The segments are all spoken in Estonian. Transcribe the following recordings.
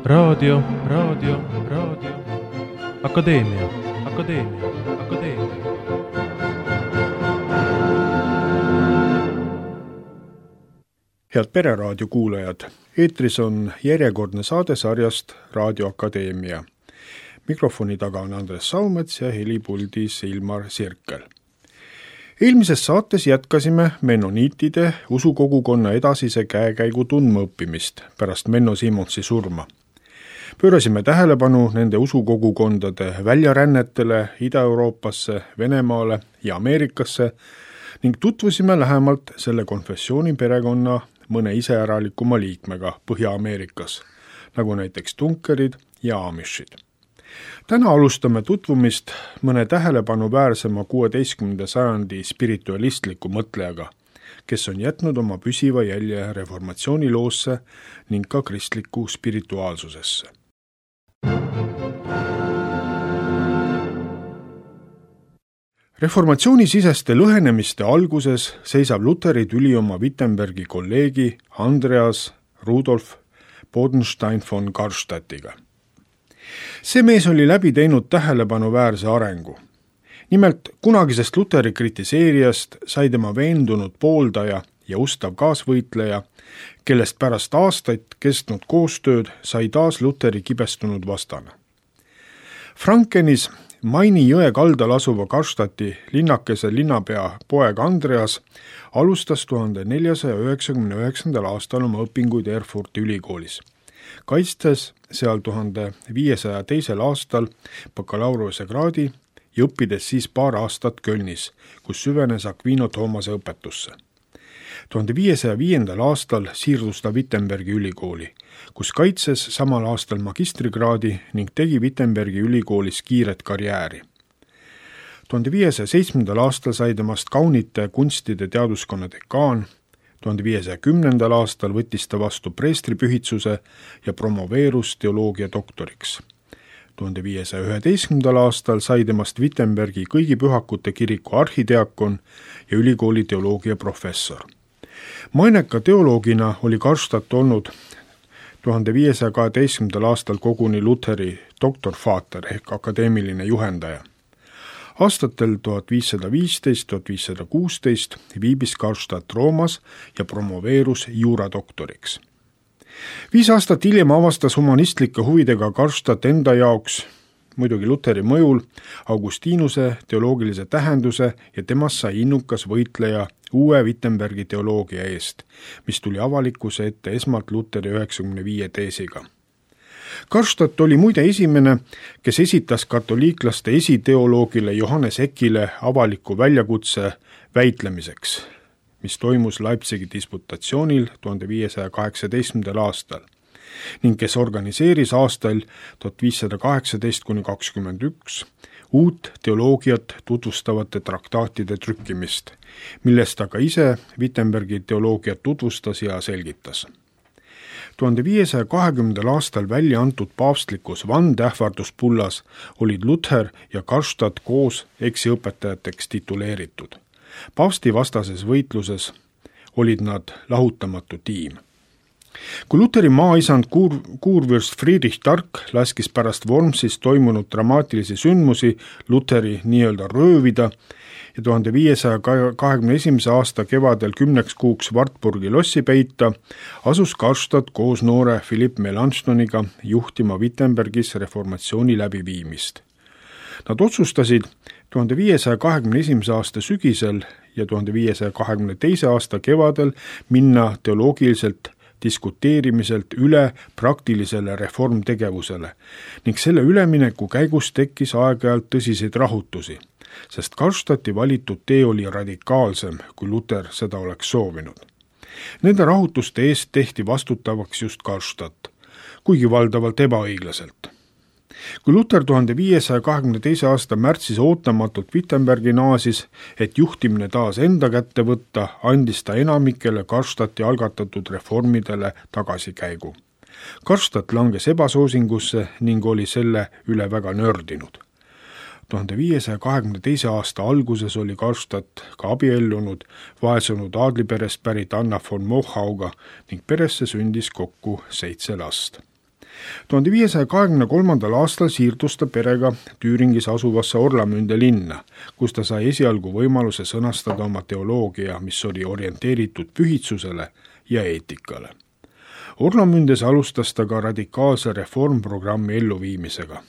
Raadio. Akadeemia. Head Pereraadio kuulajad, eetris on järjekordne saade sarjast Raadio Akadeemia. Mikrofoni taga on Andres Saumets ja helipuldis Ilmar Sirkel. Eelmises saates jätkasime mennoniitide usukogukonna edasise käekäigu tundmaõppimist pärast Menno Simonsi surma. Pöörasime tähelepanu nende usukogukondade väljarännetele Ida-Euroopasse, Venemaale ja Ameerikasse ning tutvusime lähemalt selle konfessiooni perekonna mõne iseäralikuma liikmega Põhja-Ameerikas, nagu näiteks tunkerid ja amishid. Täna alustame tutvumist mõne tähelepanuväärsema 16. sajandi spiritualistliku mõtlejaga, kes on jätnud oma püsiva jälje reformatsiooniloosse ning ka kristliku spirituaalsusesse. Reformatsioonisiseste lõhenemiste alguses seisab Luteri tüli oma Wittenbergi kolleegi Andreas Rudolf Bodenstein von Karstadtiga. See mees oli läbi teinud tähelepanuväärse arengu. Nimelt kunagisest Luteri kritiseerijast sai tema veendunud pooldaja ja ustav kaasvõitleja, kellest pärast aastaid kestnud koostööd sai taas Luteri kibestunud vastane. Frankenis Maini jõe kaldal asuva Karstadti linnakese linnapea poeg Andreas alustas 1499. aastal oma õpinguid Erfurti ülikoolis, kaitstes seal 1502. aastal bakalaureuse kraadi ja õppides siis paar aastat Kölnis, kus süvenes Aquino Thoomase õpetusse. 1505. aastal siirdus ta Wittenbergi ülikooli, kus kaitses samal aastal magistrikraadi ning tegi Wittenbergi ülikoolis kiiret karjääri. 1507. aastal sai temast kaunite kunstide teaduskonna dekaan, 1510. aastal võttis ta vastu preestripühitsuse ja promoveerus teoloogia doktoriks. 1511. aastal sai temast Wittenbergi kõigi pühakute kiriku arhidiakon ja ülikooli teoloogia professor. Maineka teoloogina oli Karstadt olnud 1512. aastal koguni Luteri doktorfaater ehk akadeemiline juhendaja. Aastatel 1515-1516 viibis Karstadt Roomas ja promoveerus juuradoktoriks. 5 aastat hiljem avastas humanistlike huvidega Karstadt enda jaoks, muidugi Luteri mõjul, Augustinuse teoloogilise tähenduse ja temast sai innukas võitleja uue Wittenbergi teoloogia eest, mis tuli avalikkuse ette esmalt Luteri 95 teesiga. Karstadt oli muide esimene, kes esitas katoliiklaste esiteoloogile Johannes Ekile avaliku väljakutse väitlemiseks, mis toimus Leipzigi disputatsioonil 1518. aastal ning kes organiseeris aastail 1518-21 uut teoloogiat tutvustavate traktaatide trükkimist, millest aga ise Wittenbergi teoloogiat tutvustas ja selgitas. 1520. aastal välja antud paavstlikus vandeähvarduspullas olid Luther ja Karstadt koos eksiõpetajateks tituleeritud. Paavsti vastases võitluses olid nad lahutamatu tiim. Kui Luteri maaisand kuurvürst Friedrich Tark laskis pärast Wormsis toimunud dramaatilisi sündmusi Luteri nii-öelda röövida ja 1521. aasta kevadel 10 kuuks Wartburgi lossi peita, asus Karstadt koos noore Philipp Melanchthoniga juhtima Wittenbergis reformatsiooni läbiviimist. Nad otsustasid 1521. aasta sügisel ja 1522. aasta kevadel minna teoloogiliselt diskuteerimiselt üle praktilisele reformtegevusele ning selle ülemineku käigus tekkis aeg-ajalt tõsiseid rahutusi, sest Karstadti valitud tee oli radikaalsem, kui Luther seda oleks soovinud. Nende rahutuste eest tehti vastutavaks just Karstadt, kuigi valdavalt ebaõiglaselt. Kui Luther 1522. aasta märtsis ootamatult Wittenbergi naasis, et juhtimine taas enda kätte võtta, andis ta enamikele Karstadti algatatud reformidele tagasikäigu. Karstadt langes ebasoosingusse ning oli selle üle väga nördinud. 1522. aasta alguses oli Karstadt ka abiellunud vaesunud aadliperest pärit Anna von Mochauga ning peresse sündis kokku 7 last. 1523. aastal siirdus ta perega Tüüringis asuvasse Orlamünde linna, kus ta sai esialgu võimaluse sõnastada oma teoloogia, mis oli orienteeritud pühitsusele ja eetikale. Orlamündes alustas ta ka radikaalse reformprogrammi elluviimisega.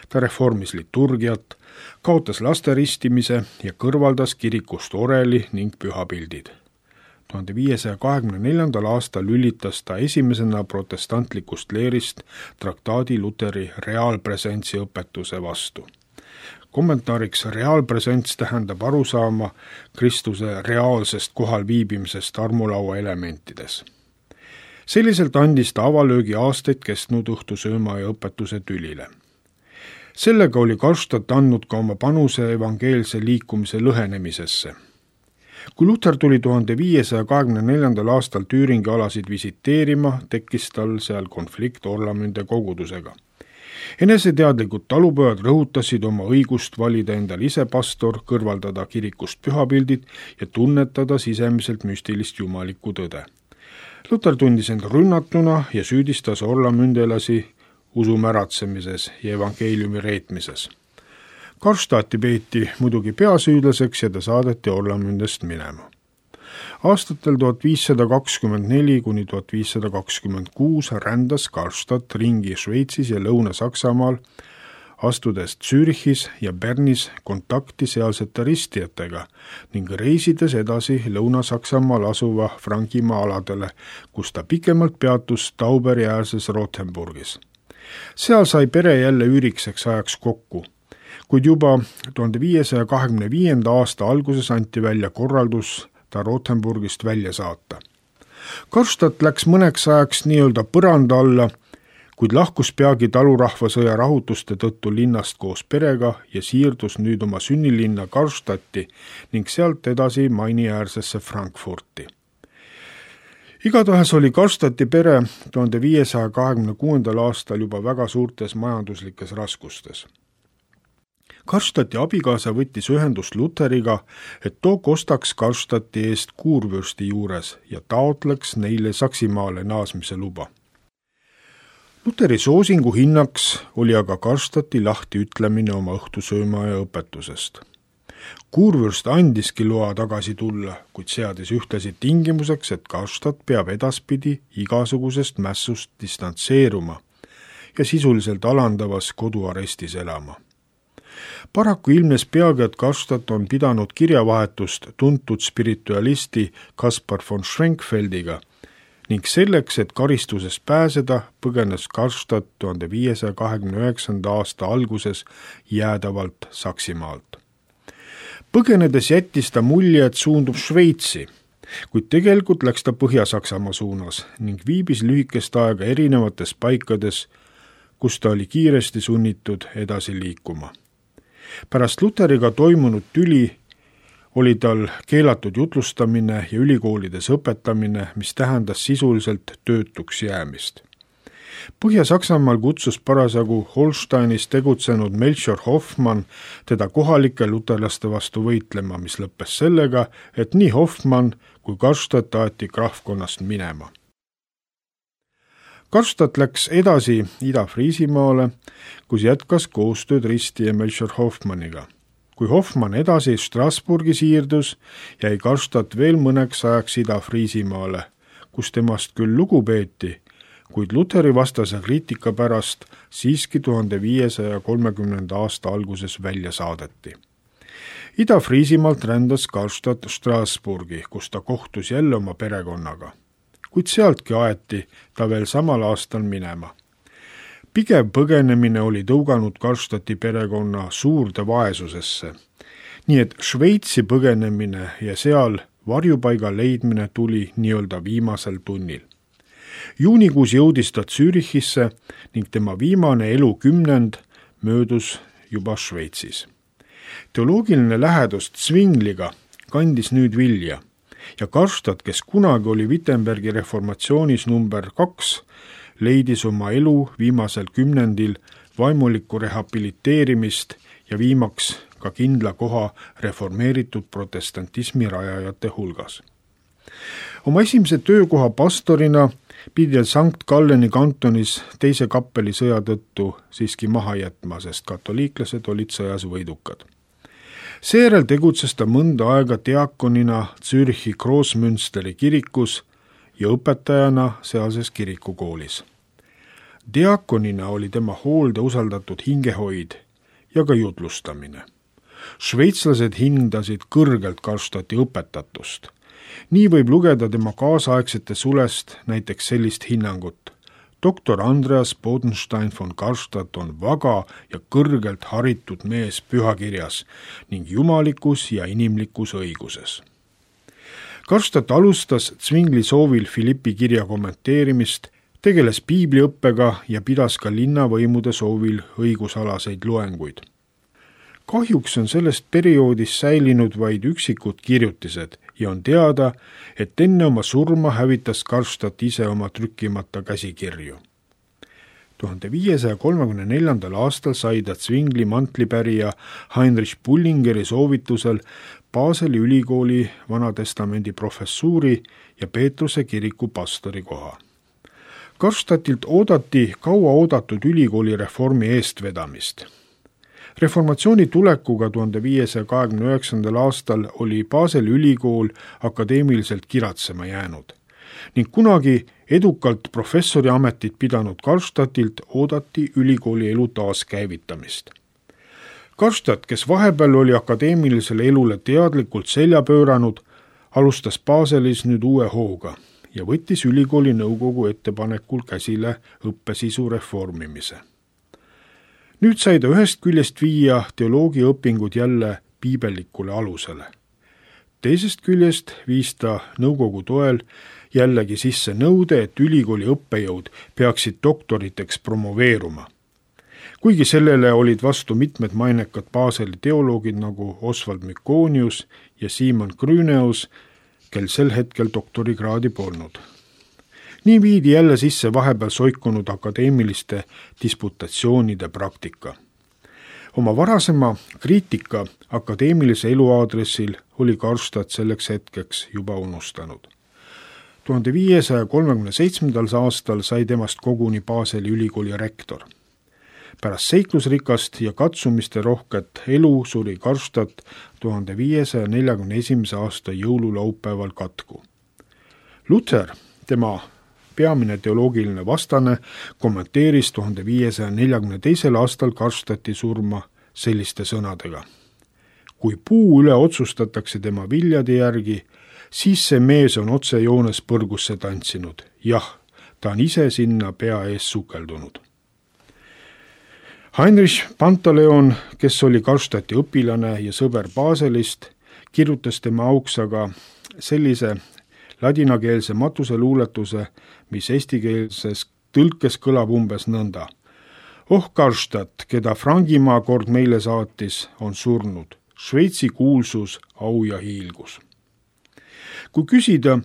Ta reformis liturgiat, kaotas laste ristimise ja kõrvaldas kirikust oreli ning pühapildid. 1524. aastal lülitas ta esimesena protestantlikust leerist traktaadi Luteri reaalpresentsi õpetuse vastu. Kommentaariks reaalpresents tähendab arusaama Kristuse reaalsest kohal viibimisest armulaua elementides. Selliselt andis ta avalöögi aastaid kestnud õhtusööma ja õpetuse tülile. Sellega oli Karlstadt andnud ka oma panuse evangeelse liikumise lõhenemisesse. Kui Luther tuli 1524. aastal Tüüringi alasid visiteerima, tekkis tal seal konflikt Orlamünde kogudusega. Eneseteadlikud talupojad rõhutasid oma õigust valida endal ise pastor, kõrvaldada kirikust pühapildid ja tunnetada sisemiselt müstilist jumalikku tõde. Luther tundis end rünnatuna ja süüdistas orlamündelasi usu märatsemises ja evangeeliumi reetmises. Karlstadti peeti muidugi peasüüdlaseks ja ta saadeti Orlamündest minema. Aastatel 1524 kuni 1526 rändas Karlstadt ringi Šveitsis ja Lõuna-Saksamaal, astudes Zürichis ja Bernis kontakti sealsete ristijatega ning reisides edasi Lõuna-Saksamaal asuva Frankimaa aladele, kus ta pikemalt peatus Tauberi äärses Rothenburgis. Seal sai pere jälle üürikseks ajaks kokku, kuid juba 1525. aasta alguses anti välja korraldus ta Rothenburgist välja saata. Karlstadt läks mõneks ajaks nii-öelda põranda alla, kuid lahkus peagi talurahvasõja rahutuste tõttu linnast koos perega ja siirdus nüüd oma sünnilinna Karlstadti ning sealt edasi Maini-äärsesse Frankfurti. Igatahes oli Karlstadti pere 1526. aastal juba väga suurtes majanduslikes raskustes. Karlstadti abikaasa võttis ühendust Lutheriga, et too kostaks Karlstadti eest kuurvürsti juures ja taotleks neile Saksimaale naasmise luba. Lutheri soosingu hinnaks oli aga Karlstadti lahti ütlemine oma õhtusööma ja õpetusest. Kuurvürst andiski loa tagasi tulla, kuid seadis ühtlasi tingimuseks, et Karlstadt peab edaspidi igasugusest mässust distantseeruma ja sisuliselt alandavas koduarestis elama. Paraku ilmnes peagi, et Karlstadt on pidanud kirjavahetust tuntud spiritualisti Kaspar von Schwenkfeldiga ning selleks, et karistusest pääseda, põgenes Karlstadt 1529. aasta alguses jäädavalt Saksimaalt. Põgenedes jättis ta mulje, et suundub Šveitsi, kuid tegelikult läks ta Põhja-Saksamaa suunas ning viibis lühikest aega erinevates paikades, kus ta oli kiiresti sunnitud edasi liikuma. Pärast Lutheriga toimunud tüli oli tal keelatud jutlustamine ja ülikoolides õpetamine, mis tähendas sisuliselt töötuks jäämist. Põhja-Saksamaal kutsus parasjagu Holsteinis tegutsenud Melchior Hoffmann teda kohalike luterlaste vastu võitlema, mis lõppes sellega, et nii Hoffmann kui Karlstadt aeti krahvkonnast minema. Karlstadt läks edasi Ida-Friisimaale, kus jätkas koostööd ristija Melchior Hoffmanniga. Kui Hoffmann edasi Strasbourgi siirdus, jäi Karlstadt veel mõneks ajaks Ida-Friisimaale, kus temast küll lugu peeti, kuid Lutheri vastase kriitika pärast siiski 1530. aasta alguses välja saadeti. Ida-Friisimaalt rändas Karlstadt Strasbourgi, kus ta kohtus jälle oma perekonnaga, kuid sealtki aeti ta veel samal aastal minema. Pigev põgenemine oli tõuganud Karlstadti perekonna suurde vaesusesse, nii et Šveitsi põgenemine ja seal varjupaiga leidmine tuli nii-öelda viimasel tunnil. Juunikuus jõudis ta Zürichisse ning tema viimane elukümnend möödus juba Šveitsis. Teoloogiline lähedus Zwingliga kandis nüüd vilja ja Karlstadt, kes kunagi oli Wittenbergi reformatsioonis number 2, leidis oma elu viimasel kümnendil vaimulikku rehabiliteerimist ja viimaks ka kindla koha reformeeritud protestantismi rajajate hulgas. Oma esimese töökoha pastorina pidi Sankt Galleni kantonis teise kappeli sõja tõttu siiski maha jätma, sest katoliiklased olid sõjas võidukad. Seejärel tegutses ta mõnda aega diakonina Zürichi Großmünsteri kirikus ja õpetajana sealses kirikukoolis. Diakonina oli tema hoolde usaldatud hingehoid ja ka jutlustamine. Šveitslased hindasid kõrgelt Karlstadti õpetatust. Nii võib lugeda tema kaasaegsete sulest näiteks sellist hinnangut. Doktor Andreas Bodenstein von Karlstadt on vaga ja kõrgelt haritud mees pühakirjas ning jumalikus ja inimlikus õiguses. Karlstadt alustas Zwingli soovil Philippi kirja kommenteerimist, tegeles piibliõppega ja pidas ka linnavõimude soovil õigusalaseid loenguid. Kahjuks on sellest perioodist säilinud vaid üksikud kirjutised ja on teada, et enne oma surma hävitas Karlstadt ise oma trükkimata käsikirju. 1534. aastal sai ta Zwingli mantlipärija Heinrich Bullingeri soovitusel Baseli ülikooli Vanatestamendi professuuri ja Peetruse kiriku pastori koha. Karlstadtilt oodati kaua oodatud ülikooli reformi eestvedamist. Reformatsiooni tulekuga 1529. aastal oli Baseli ülikool akadeemiliselt kiratsema jäänud ning kunagi edukalt professori ametit pidanud Karlstadtilt oodati ülikooli elu taaskäivitamist. Karlstadt, kes vahepeal oli akadeemilisele elule teadlikult selja pööranud, alustas Baselis nüüd uue hooga ja võttis ülikooli nõukogu ettepanekul käsile õppesisu reformimise. Nüüd sai ta ühest küljest viia teoloogiaõpingud jälle piibellikule alusele. Teisest küljest viis ta nõukogu toel jällegi sisse nõude, et ülikooli õppejõud peaksid doktoriteks promoveeruma. Kuigi sellele olid vastu mitmed mainekad Baseli teoloogid nagu Oswald Mykonius ja Simon Grüneus, kel sel hetkel doktorikraadi polnud. Nii viidi jälle sisse vahepeal soikunud akadeemiliste disputatsioonide praktika. Oma varasema kriitika akadeemilise elu aadressil oli Karlstadt selleks hetkeks juba unustanud. 1537. aastal sai temast koguni Baseli ülikooli rektor. Pärast seiklusrikast ja katsumiste rohket elu suri Karlstadt 1541. aasta jõululaupäeval katku. Luther, tema peamine teoloogiline vastane, kommenteeris 1542. aastal Karlstadti surma selliste sõnadega. Kui puu üle otsustatakse tema viljade järgi, siis see mees on otsejoones põrgusse tantsinud. Jah, ta on ise sinna pea ees sukeldunud. Heinrich Pantaleon, kes oli Karlstadti õpilane ja sõber Baselist, kirjutas tema auks aga sellise ladinakeelse matuseluuletuse, mis eestikeelses tõlkes kõlab umbes nõnda. Oh Karlstadt, keda Frangimaa kord meile saatis, on surnud. Šveitsi kuulsus, au ja hiilgus. Kui küsida,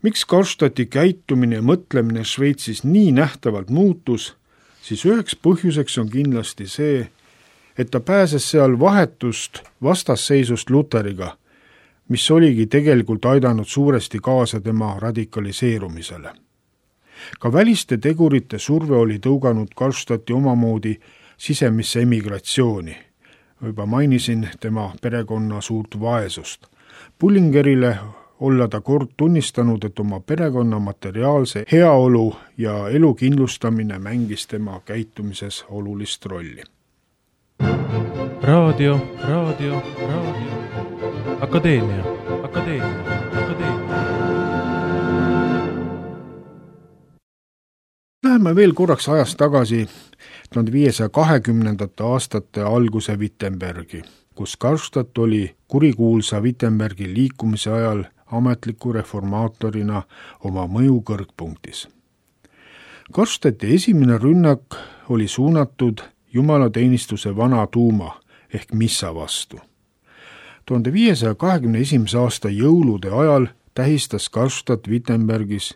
miks Karlstadti käitumine ja mõtlemine Šveitsis nii nähtavalt muutus, siis üheks põhjuseks on kindlasti see, et ta pääses seal vahetust vastasseisust Lutheriga, mis oligi tegelikult aidanud suuresti kaasa tema radikaliseerumisele. Ka väliste tegurite surve oli tõuganud Karlstadti omamoodi sisemisse emigratsiooni. Juba mainisin tema perekonna suurt vaesust. Bullingerile olla ta kord tunnistanud, et oma perekonna materiaalse heaolu ja elu kindlustamine mängis tema käitumises olulist rolli. Raadio. Akadeemia. Läheme veel korraks ajas tagasi 1520. aastate alguse Wittenbergi, kus Karlstadt oli kurikuulsa Wittenbergi liikumise ajal ametliku reformaatorina oma mõju kõrgpunktis. Karlstadti esimene rünnak oli suunatud jumalateenistuse vana tuuma ehk missa vastu. 1521. aasta jõulude ajal tähistas Karlstadt Wittenbergis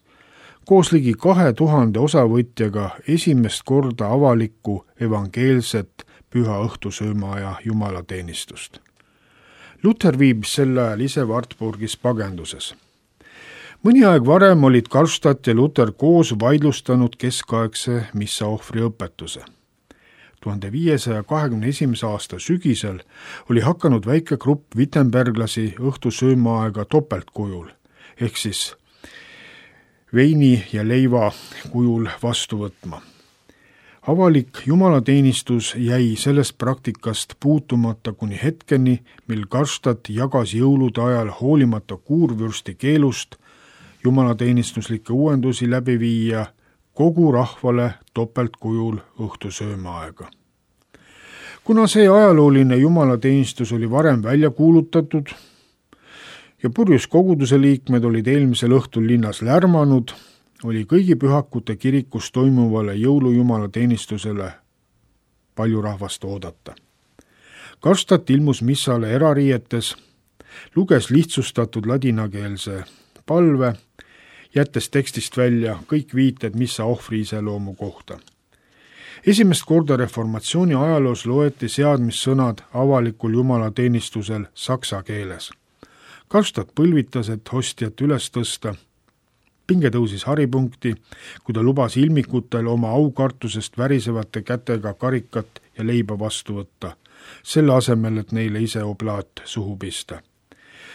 koos ligi 2000 osavõtjaga esimest korda avalikku evangeelset püha õhtusöömaaja jumalateenistust. Luther viibis sel ajal ise Wartburgis pagenduses. Mõni aeg varem olid Karlstadt ja Luther koos vaidlustanud keskaegse missaohvri õpetuse. 1521. aasta sügisel oli hakanud väike grupp Wittenberglasi õhtusöömaaega topeltkujul, ehk siis veini ja leiva kujul vastu võtma. Avalik jumalateenistus jäi sellest praktikast puutumata kuni hetkeni, mil Karlstadt jagas jõulude ajal hoolimata kuurvürsti keelust jumalateenistuslikke uuendusi läbi viia kogu rahvale topeltkujul õhtusöömaaega. Kuna see ajalooline jumalateenistus oli varem välja kuulutatud ja purjus koguduse liikmed olid eelmisel õhtul linnas lärmanud, oli kõigi pühakute kirikus toimuvale jõulujumalateenistusele palju rahvast oodata. Karlstadt ilmus missale erariietes, luges lihtsustatud ladinakeelse palve, jättes tekstist välja kõik viited missa ohvri iseloomu kohta. Esimest korda reformatsiooni ajaloos loeti seadmissõnad avalikul jumalateenistusel saksa keeles. Karlstadt põlvitas, et hostjat üles tõsta. Pinge tõusis haripunkti, kui ta lubas ilmikutel oma aukartusest värisevate kätega karikat ja leiba vastu võtta, selle asemel, et neile ise oblaat suhu pista.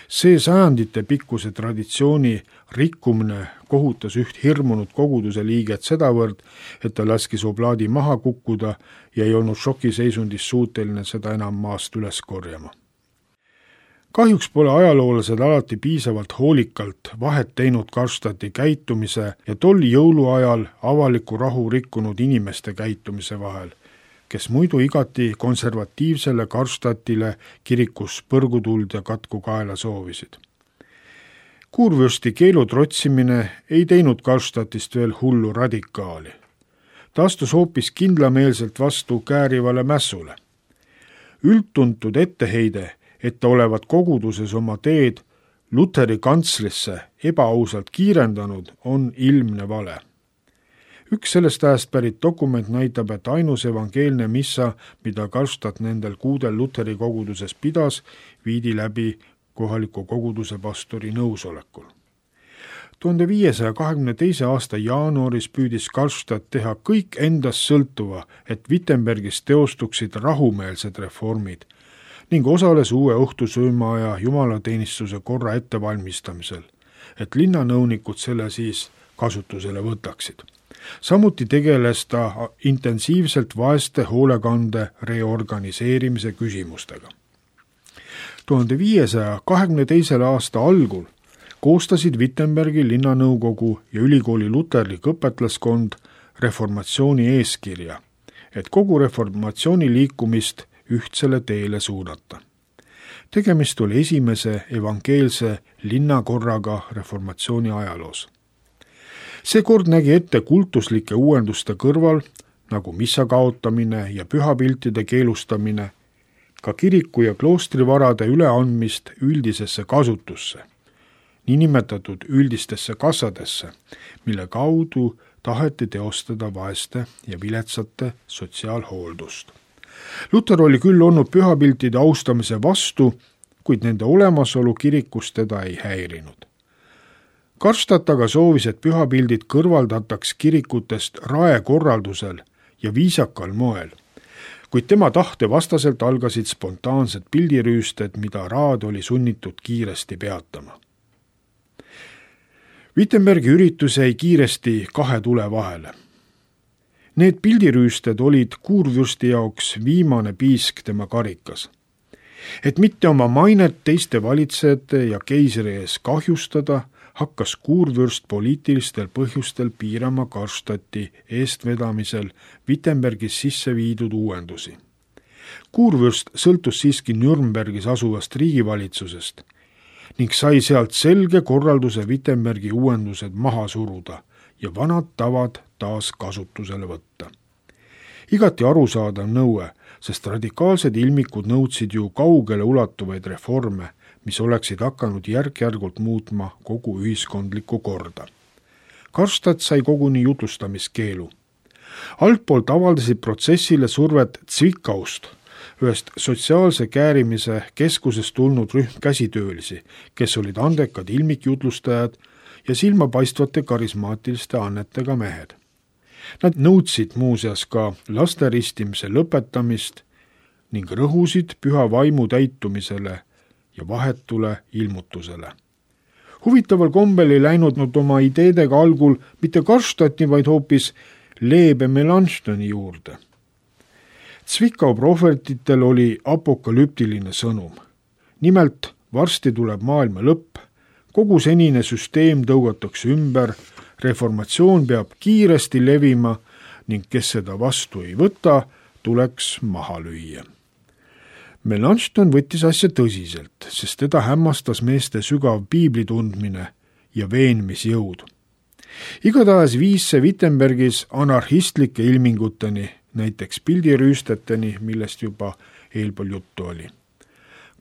See sajandite pikkuse traditsiooni rikkumine kohutas üht hirmunud koguduse liiget sedavõrd, et ta laskis oblaadi maha kukkuda ja ei olnud šokiseisundis suuteline seda enam maast üles korjama. Kahjuks pole ajaloolased alati piisavalt hoolikalt vahet teinud Karlstadti käitumise ja tol jõuluajal avaliku rahu rikkunud inimeste käitumise vahel, kes muidu igati konservatiivsele Karlstadtile kirikus põrgutuld ja katku kaela soovisid. Kuurvürsti keelu trotsimine ei teinud Karlstadtist veel hullu radikaali. Ta astus hoopis kindlameelselt vastu käärivale mässule. Üldtuntud etteheide, et ta olevat koguduses oma teed Lutheri kantslisse ebaausalt kiirendanud, on ilmne vale. Üks sellest ajast pärit dokument näitab, et ainus evangeelne missa, mida Karlstadt nendel kuudel Lutheri koguduses pidas, viidi läbi kohaliku koguduse pastori nõusolekul. 1522. aasta jaanuaris püüdis Karlstadt teha kõik endast sõltuva, et Wittenbergis teostuksid rahumeelsed reformid ning osales uue õhtusöömaaja jumalateenistuse korra ettevalmistamisel, et linnanõunikud selle siis kasutusele võtaksid. Samuti tegeles ta intensiivselt vaeste hoolekande reorganiseerimise küsimustega. 1522. aasta algul koostasid Wittenbergi linnanõukogu ja ülikooli luterlik õpetlaskond reformatsiooni eeskirja, et kogu reformatsiooni liikumist ühtsele teele suunata. Tegemist oli esimese evangeelse linnakorraga reformatsiooni ajaloos. See kord nägi ette kultuslike uuenduste kõrval, nagu missa kaotamine ja pühapiltide keelustamine, ka kiriku ja kloostrivarade üleandmist üldisesse kasutusse, niinimetatud üldistesse kassadesse, mille kaudu taheti teostada vaeste ja viletsate sotsiaalhooldust. Luther oli küll olnud pühapiltide austamise vastu, kuid nende olemasolu kirikus teda ei häirinud. Karlstadt aga soovis, et pühapildid kõrvaldataks kirikutest raekorraldusel ja viisakal moel, kuid tema tahte vastaselt algasid spontaansed pildirüüsted, mida raad oli sunnitud kiiresti peatama. Wittenbergi üritus jäi kiiresti kahe tule vahele. Need pildirüüsted olid kuurvürsti jaoks viimane piisk tema karikas. Et mitte oma mainet teiste valitsejate ja keisri ees kahjustada, hakkas kuurvürst poliitilistel põhjustel piirama Karlstadti eestvedamisel Wittenbergis sisse viidud uuendusi. Kuurvürst sõltus siiski Nürnbergis asuvast riigivalitsusest ning sai sealt selge korralduse Wittenbergi uuendused maha suruda ja vanad tavad taas kasutusele võtta. Igati arusaadav nõue, sest radikaalsed ilmikud nõudsid ju kaugele ulatuvaid reforme, mis oleksid hakanud järk-järgult muutma kogu ühiskondlikku korda. Karlstadt sai koguni jutlustamiskeelu. Altpoolt avaldasid protsessile survet Zwickauust, ühest sotsiaalse käärimise keskusest tulnud rühm käsitöölisi, kes olid andekad ilmikjutlustajad ja silmapaistvate karismaatiliste annetega mehed. Nad nõudsid muuseas ka laste ristimise lõpetamist ning rõhusid püha vaimu täitumisele ja vahetule ilmutusele. Huvitaval kombel ei läinud nad oma ideedega algul mitte Karlstadti, vaid hoopis Leebe Melanchthoni juurde. Zwickau prohvetitel oli apokalüptiline sõnum. Nimelt, varsti tuleb maailma lõpp, kogu senine süsteem tõugatakse ümber, reformatsioon peab kiiresti levima ning kes seda vastu ei võta, tuleks maha lüüa. Melanchthon võttis asja tõsiselt, sest teda hämmastas meeste sügav piiblitundmine ja veenmisjõud. Igatahes viis see Wittenbergis anarhistlike ilminguteni, näiteks pildirüüsteteni, millest juba eelpool juttu oli.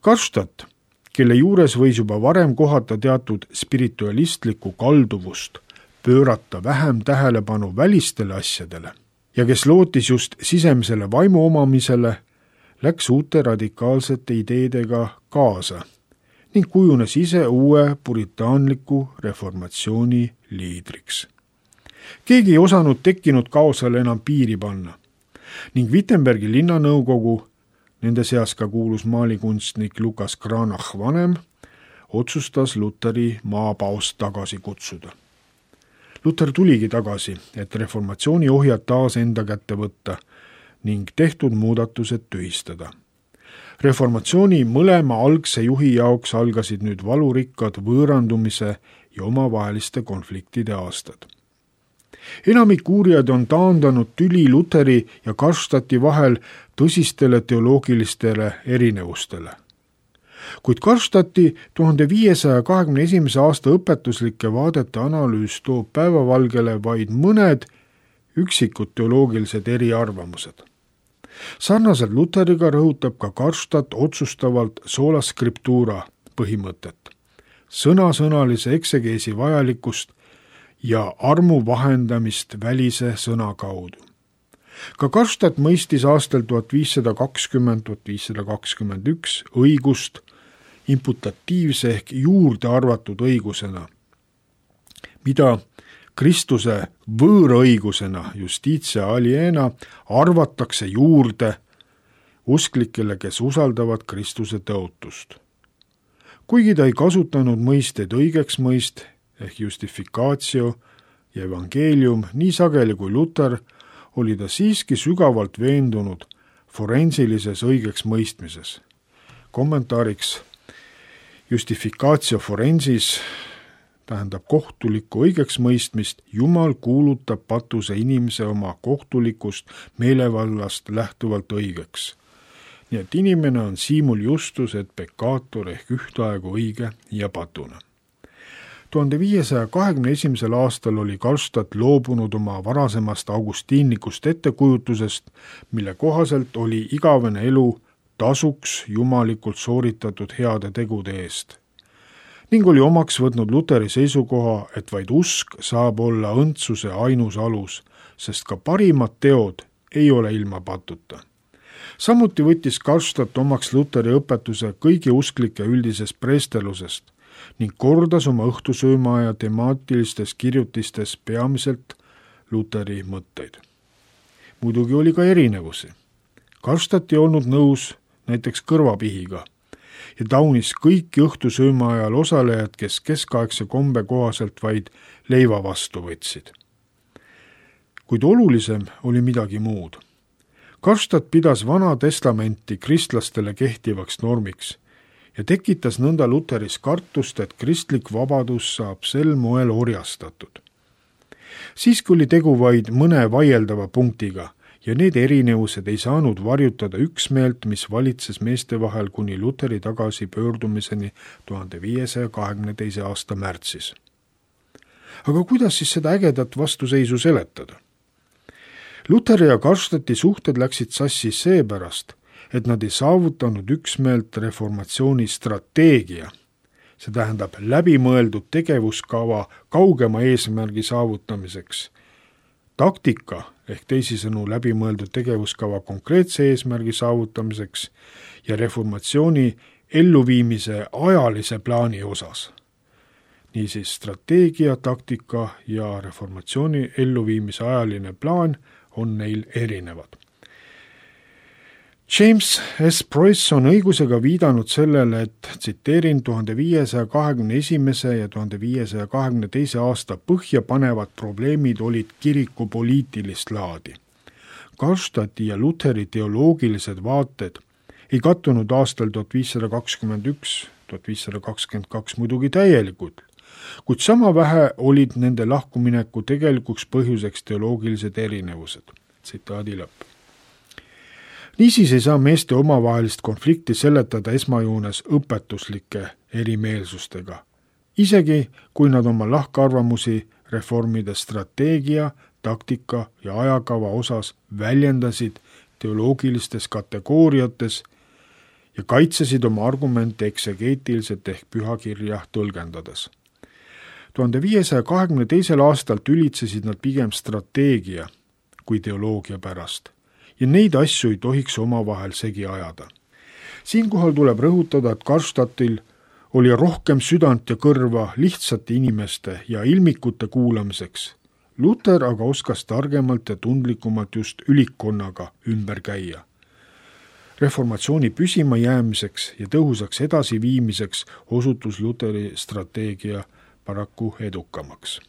Karlstadt, kelle juures võis juba varem kohata teatud spiritualistlikku kalduvust, pöörata vähem tähelepanu välistele asjadele ja kes lootis just sisemisele vaimu omamisele, läks uute radikaalsete ideedega kaasa ning kujunes ise uue puritaanliku reformatsiooni liidriks. Keegi ei osanud tekkinud kaosele enam piiri panna ning Wittenbergi linnanõukogu, nende seas ka kuulus maalikunstnik Lukas Cranach vanem, otsustas Luteri maapaost tagasi kutsuda. Luter tuligi tagasi, et reformatsiooni ohjad taas enda kätte võtta ning tehtud muudatused tühistada. Reformatsiooni mõlema algse juhi jaoks algasid nüüd valurikkad võõrandumise ja omavaheliste konfliktide aastad. Enamik uurijad on taandanud tüli Luteri ja Karlstadti vahel tõsistele teoloogilistele erinevustele. Kuid Karlstadti 1521. aasta õpetuslike vaadete analüüs toob päevavalgele vaid mõned üksikud teoloogilised eriarvamused. Sarnaselt Luteriga rõhutab ka Karlstadt otsustavalt sola scriptura põhimõtet, sõnasõnalise eksegeesi vajalikkust ja armu vahendamist välise sõna kaudu. Ka Karlstadt mõistis aastal 1520–1521 õigust imputatiivse ehk juurde arvatud õigusena, mida Kristuse võõraõigusena justitia aliena arvatakse juurde usklikele, kes usaldavad Kristuse tõotust. Kuigi ta ei kasutanud mõisteid õigeks mõist ehk justificatio ja evangeelium nii sageli kui Luter, oli ta siiski sügavalt veendunud forensilises õigeks mõistmises. Kommentaariks justificatio forensis tähendab kohtulikku õigeks mõistmist, Jumal kuulutab patuse inimese oma kohtulikust meelevallast lähtuvalt õigeks. Nii et inimene on simul justus et peccator ehk ühtaegu õige ja patune. 1521. aastal oli Karlstadt loobunud oma varasemast augustiinlikust ettekujutusest, mille kohaselt oli igavene elu tasuks jumalikult sooritatud heade tegude eest. Ning oli omaks võtnud Luteri seisukoha, et vaid usk saab olla õndsuse ainus alus, sest ka parimad teod ei ole ilma patuta. Samuti võttis Karlstadt omaks Luteri õpetuse kõigi usklike üldisest preestelusest ning kordas oma õhtusöömaaja temaatilistes kirjutistes peamiselt Luteri mõtteid. Muidugi oli ka erinevusi. Karlstadt ei olnud nõus näiteks kõrvapihiga ja taunis kõiki õhtusööma ajal osalejad, kes keskaegse kombe kohaselt vaid leiva vastu võtsid. Kuid olulisem oli midagi muud. Karlstadt pidas Vana Testamenti kristlastele kehtivaks normiks ja tekitas nõnda Luteris kartust, et kristlik vabadus saab sel moel orjastatud. Siiski oli tegu vaid mõne vaieldava punktiga ja need erinevused ei saanud varjutada üksmeelt, mis valitses meeste vahel kuni Luteri tagasi pöördumiseni 1522. aasta märtsis. Aga kuidas siis seda ägedat vastuseisu seletada? Luteri ja Karlstadti suhted läksid sassi seepärast, et nad ei saavutanud üksmeelt reformatsiooni strateegia, see tähendab läbimõeldud tegevuskava kaugema eesmärgi saavutamiseks, taktika ehk teisisõnu läbimõeldud tegevuskava konkreetse eesmärgi saavutamiseks ja reformatsiooni elluviimise ajalise plaani osas. Niisiis strateegia, taktika ja reformatsiooni elluviimise ajaline plaan on neil erinevad. James S. Preuss on õigusega viidanud sellele, et tsiteerin 1521. ja 1522. aasta põhjapanevad probleemid olid kiriku poliitilist laadi. Karlstadti ja Lutheri teoloogilised vaated ei kattunud aastal 1521-1522 muidugi täielikult, kuid sama vähe olid nende lahkumineku tegelikuks põhjuseks teoloogilised erinevused. Tsitaadi lõpp. Niisiis ei saa meeste omavahelist konflikti seletada esmajoones õpetuslike erimeelsustega, isegi kui nad oma lahkarvamusi reformide strateegia, taktika ja ajakava osas väljendasid teoloogilistes kategooriates ja kaitsesid oma argumente eksegeetiliselt ehk pühakirja tõlgendades. 1522. aastal tülitsesid nad pigem strateegia kui teoloogia pärast ja neid asju ei tohiks omavahel segi ajada. Siinkohal tuleb rõhutada, et Karlstadtil oli rohkem südant ja kõrva lihtsate inimeste ja ilmikute kuulamiseks. Luther aga oskas targemalt ja tundlikumalt just ülikkonnaga ümber käia. Reformatsiooni püsima jäämiseks ja tõhusaks edasiviimiseks osutus Lutheri strateegia paraku edukamaks.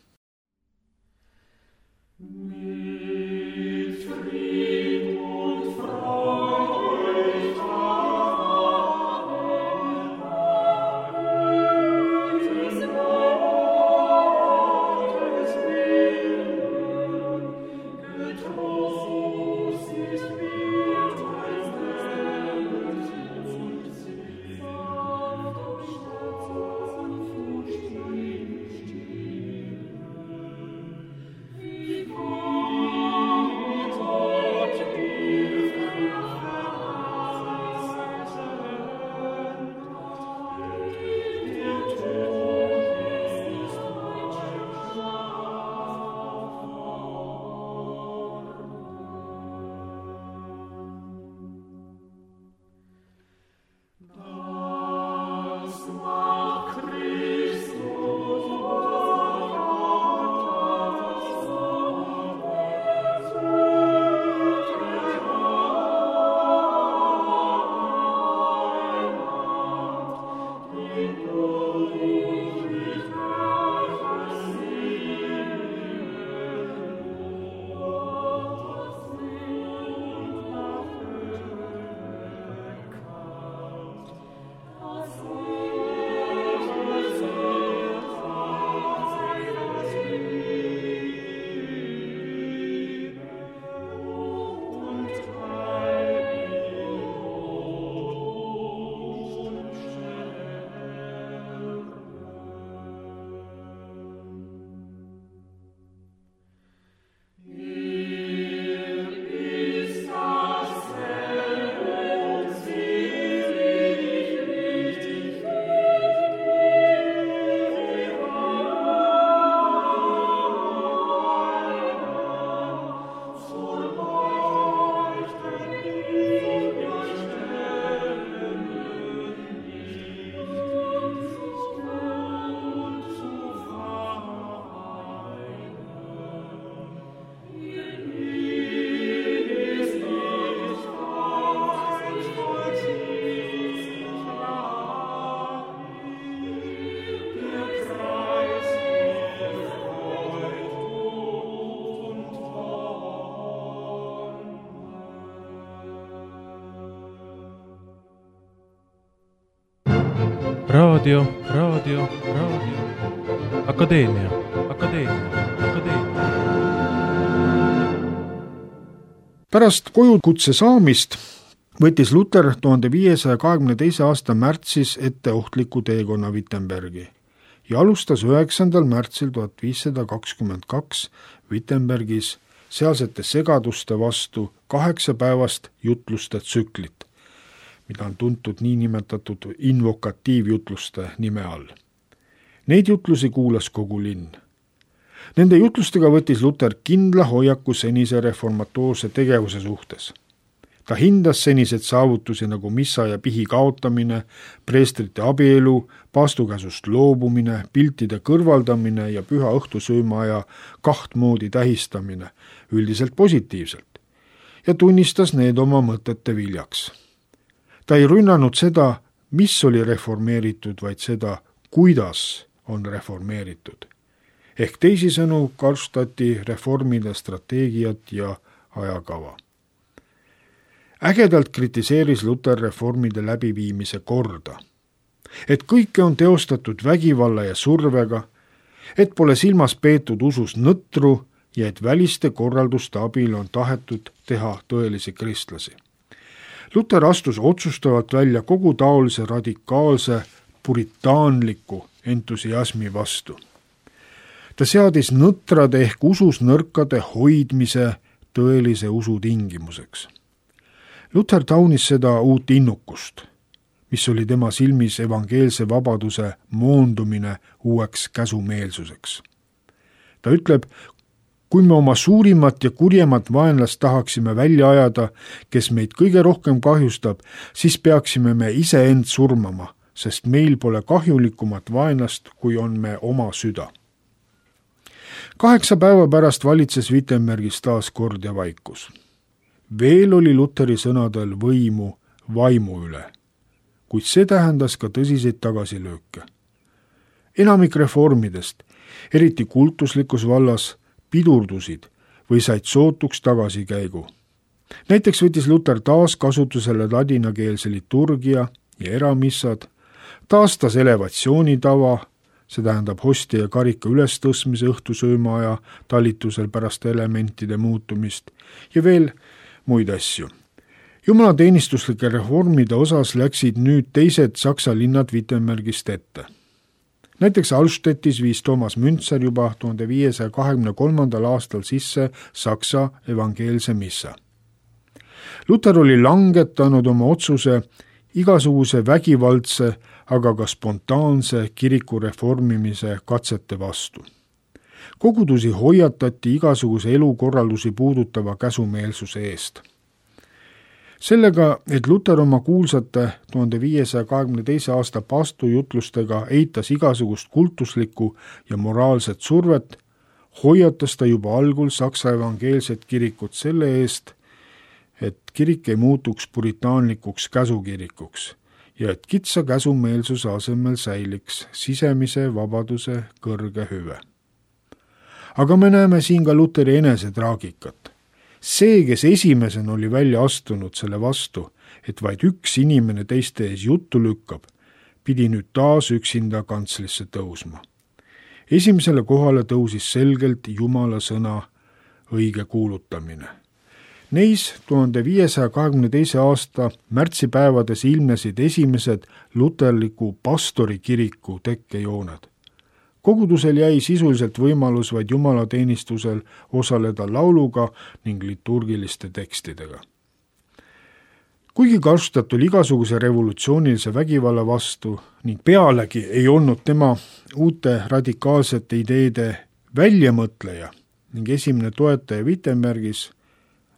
Raadio. Akadeemia. Pärast kojukutse saamist võttis Luther 1522. aasta märtsis ette ohtliku teekonna Wittenbergi ja alustas 9. märtsil 1522 Wittenbergis sealsete segaduste vastu 8-päevast jutluste tsüklit, mida on tuntud niinimetatud invokatiivjutluste nime all. Neid jutlusi kuulas kogu linn. Nende jutlustega võttis Luther kindla hoiaku senise reformatoorse tegevuse suhtes. Ta hindas senised saavutusi nagu missa ja pihi kaotamine, preestrite abielu, paastukäsust loobumine, piltide kõrvaldamine ja püha õhtusöömaaja kahtmoodi tähistamine üldiselt positiivselt ja tunnistas need oma mõtete viljaks. Ta ei rünnanud seda, mis oli reformeeritud, vaid seda, kuidas on reformeeritud. Ehk teisisõnu Karlstadti reformide strateegiat ja ajakava. Ägedalt kritiseeris Luther reformide läbiviimise korda, et kõike on teostatud vägivalla ja survega, et pole silmas peetud usus nõtru ja et väliste korralduste abil on tahetud teha tõelisi kristlasi. Luther astus otsustavalt välja kogu taolise radikaalse puritaanliku entusiasmi vastu. Ta seadis nõtrade ehk usus nõrkade hoidmise tõelise usu tingimuseks. Luther taunis seda uut innukust, mis oli tema silmis evangeelse vabaduse moondumine uueks käsumeelsuseks. Ta ütleb, kui me oma suurimat ja kurjemat vaenlast tahaksime välja ajada, kes meid kõige rohkem kahjustab, siis peaksime me iseend surmama, sest meil pole kahjulikumat vaenlast, kui on me oma süda. 8 päeva pärast valitses Wittenbergis taas kord ja vaikus. Veel oli Lutheri sõnadel võimu vaimu üle, kuid see tähendas ka tõsiseid tagasilööke. Enamik reformidest, eriti kultuslikus vallas, pidurdusid või said sootuks tagasikäigu. Näiteks võttis Luther taas kasutusele ladinakeelse liturgia ja eramissad, taastas elevatsioonitava, see tähendab hostia ja karika ülestõstmise õhtusöömaaja talitusel pärast elementide muutumist ja veel muid asju. Jumalateenistuslike reformide osas läksid nüüd teised Saksa linnad Wittenbergist ette. Näiteks Alstettis viis Thomas Münzer juba 1523. aastal sisse Saksa evangeelse missa. Luther oli langetanud oma otsuse igasuguse vägivaldse, aga ka spontaanse kiriku reformimise katsete vastu. Kogudusi hoiatati igasuguse elukorraldusi puudutava käsumeelsuse eest. Sellega, et Luther oma kuulsate 1522. aasta paastujutlustega eitas igasugust kultuslikku ja moraalset survet, hoiatas ta juba algul Saksa evangeelset kirikut selle eest, et kirik ei muutuks puritaanlikuks käsukirikuks ja et kitsa käsumeelsuse asemel säiliks sisemise vabaduse kõrge hüve. Aga me näeme siin ka Lutheri enese traagikat. See, kes esimesena oli välja astunud selle vastu, et vaid üks inimene teiste ees juttu lükkab, pidi nüüd taas üksinda kantslisse tõusma. Esimesele kohale tõusis selgelt Jumala sõna õige kuulutamine. Neis 1522. aasta märtsipäevades ilmnesid esimesed luterliku pastorikiriku tekkejooned. Kogudusel jäi sisuliselt võimalus vaid jumalateenistusel osaleda lauluga ning liturgiliste tekstidega. Kuigi Karlstadt oli igasuguse revolutsioonilise vägivalla vastu ning pealegi ei olnud tema uute radikaalsete ideede väljamõtleja ning esimene toetaja Wittenbergis,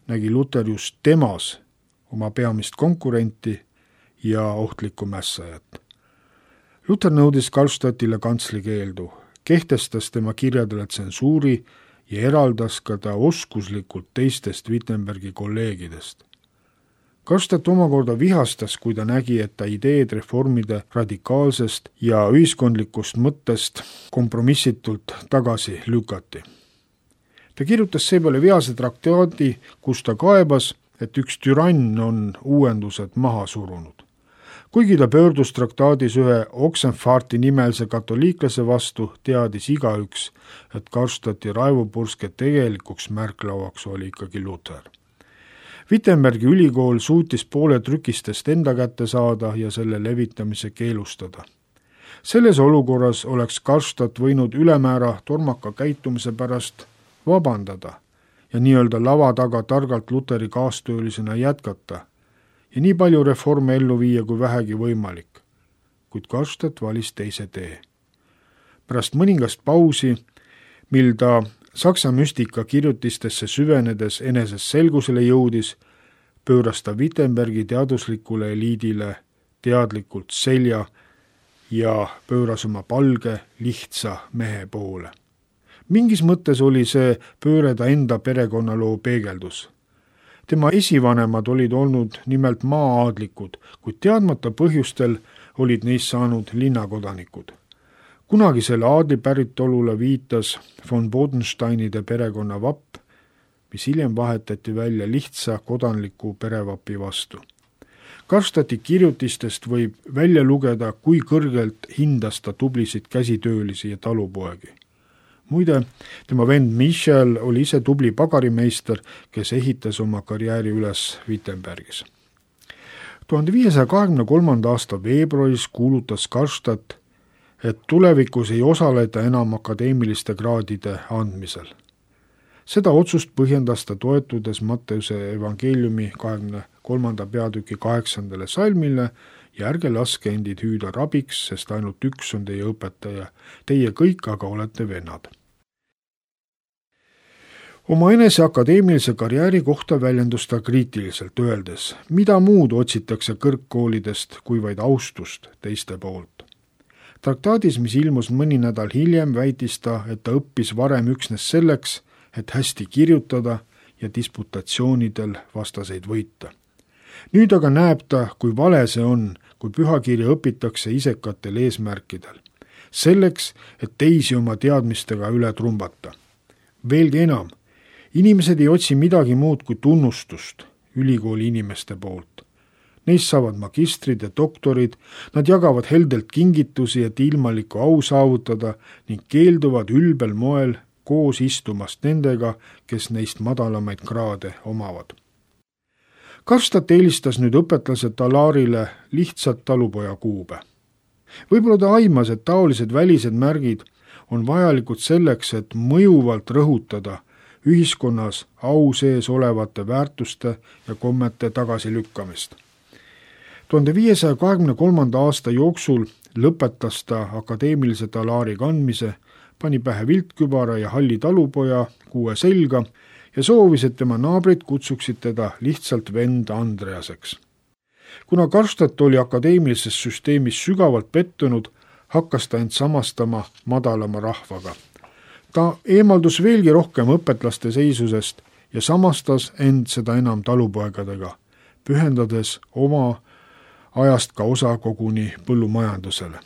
nägi Luther just temas oma peamist konkurenti ja ohtlikku mässajat. Luther nõudis Karlstadtile kantsli keeldu, kehtestas tema kirjadele tsensuuri ja eraldas ka ta oskuslikult teistest Wittenbergi kolleegidest. Karlstadt omakorda vihastas, kui ta nägi, et ta ideed reformide radikaalsest ja ühiskondlikust mõttest kompromissitult tagasi lükati. Ta kirjutas seepeale vease traktaadi, kus ta kaebas, et üks türann on uuendused maha surunud. Kuigi ta pöördus traktaadis ühe Oxenfarti nimelise katoliiklase vastu, teadis igaüks, et Karlstadti raevupurske tegelikuks märklauaks oli ikkagi Luther. Wittenbergi ülikool suutis poole trükistest enda kätte saada ja selle levitamise keelustada. Selles olukorras oleks Karlstadt võinud ülemäära tormaka käitumise pärast vabandada ja nii-öelda lava taga targalt Lutheri kaastöölisena jätkata ja nii palju reforme ellu viia kui vähegi võimalik, kuid Karlstadt valis teise tee. Pärast mõningast pausi, mil ta Saksa müstika kirjutistesse süvenedes eneses selgusele jõudis, pööras ta Wittenbergi teaduslikule eliidile teadlikult selja ja pööras oma palge, lihtsa mehe poole. Mingis mõttes oli see pööre ta enda perekonnaloo peegeldus. Tema esivanemad olid olnud nimelt maa-aadlikud, kuid teadmata põhjustel olid neist saanud linnakodanikud. Kunagisele aadlipäritolule viitas von Bodensteinide perekonna vapp, mis hiljem vahetati välja lihtsa kodanliku perevapi vastu. Karstati kirjutistest võib välja lugeda, kui kõrgelt hindas ta tublisid käsitöölisi ja talupoegi. Muide, tema vend Michel oli ise tubli pagarimeister, kes ehitas oma karjääri üles Wittenbergis. 1523. aasta veebruaris kuulutas Karstadt, et tulevikus ei osaleta enam akadeemiliste kraadide andmisel. Seda otsust põhjendas ta toetudes Matteuse evangeeliumi 23. peatüki 8. salmile ja ärge laske endid hüüda rabiks, sest ainult üks on teie õpetaja, teie kõik aga olete vennad. Oma enese akadeemilise karjääri kohta väljendus ta kriitiliselt, öeldes, mida muud otsitakse kõrgkoolidest kui vaid austust teiste poolt. Traktaadis, mis ilmus mõni nädal hiljem, väitis ta, et ta õppis varem üksnes selleks, et hästi kirjutada ja disputatsioonidel vastaseid võita. Nüüd aga näeb ta, kui vale see on, kui pühakirja õpitakse isekatel eesmärkidel. Selleks, et teisi oma teadmistega üle trumbata. Veelgi enam, inimesed ei otsi midagi muud kui tunnustust ülikooli inimeste poolt. Neist saavad magistrid ja doktorid, nad jagavad heldelt kingitusi, et ilmalikku au saavutada ning keelduvad ülbel moel koos istumast nendega, kes neist madalamaid kraade omavad. Karstadt eelistas nüüd õpetlase talaarile lihtsalt talupoja kuube. Võib-olla ta aimas, et taolised välised märgid on vajalikud selleks, et mõjuvalt rõhutada ühiskonnas au sees olevate väärtuste ja kommete tagasilükkamist. 1523. aasta jooksul lõpetas ta akadeemilise talaari kandmise, pani pähe viltkübara ja halli talupoja kuue selga ja soovis, et tema naabrid kutsuksid teda lihtsalt vend Andreaseks. Kuna Karstadt oli akadeemilises süsteemis sügavalt pettunud, hakkas ta end samastama madalama rahvaga. Ta eemaldus veelgi rohkem õpetlaste seisusest ja samastas end seda enam talupoegadega, pühendades oma ajast ka osa koguni põllumajandusele.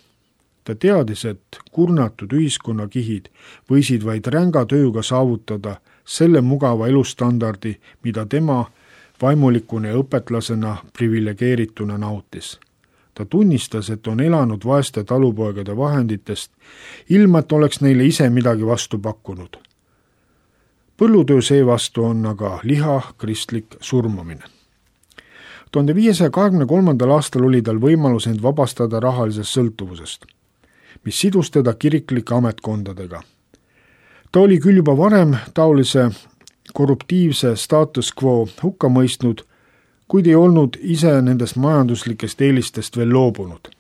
Ta teadis, et kurnatud ühiskonnakihid võisid vaid ränga tööga saavutada selle mugava elustandardi, mida tema vaimulikuna ja õpetlasena privilegeerituna nautis. Ta tunnistas, et on elanud vaeste talupoegade vahenditest, ilma et oleks neile ise midagi vastu pakkunud. Põllutöö seevastu on aga liha kristlik surmamine. 1523. aastal oli tal võimalus end vabastada rahalisest sõltuvusest, mis sidus teda kiriklike ametkondadega. Ta oli küll juba varem taolise korruptiivse status quo hukka mõistnud, kuid ei olnud ise nendest majanduslikest eelistest veel loobunud.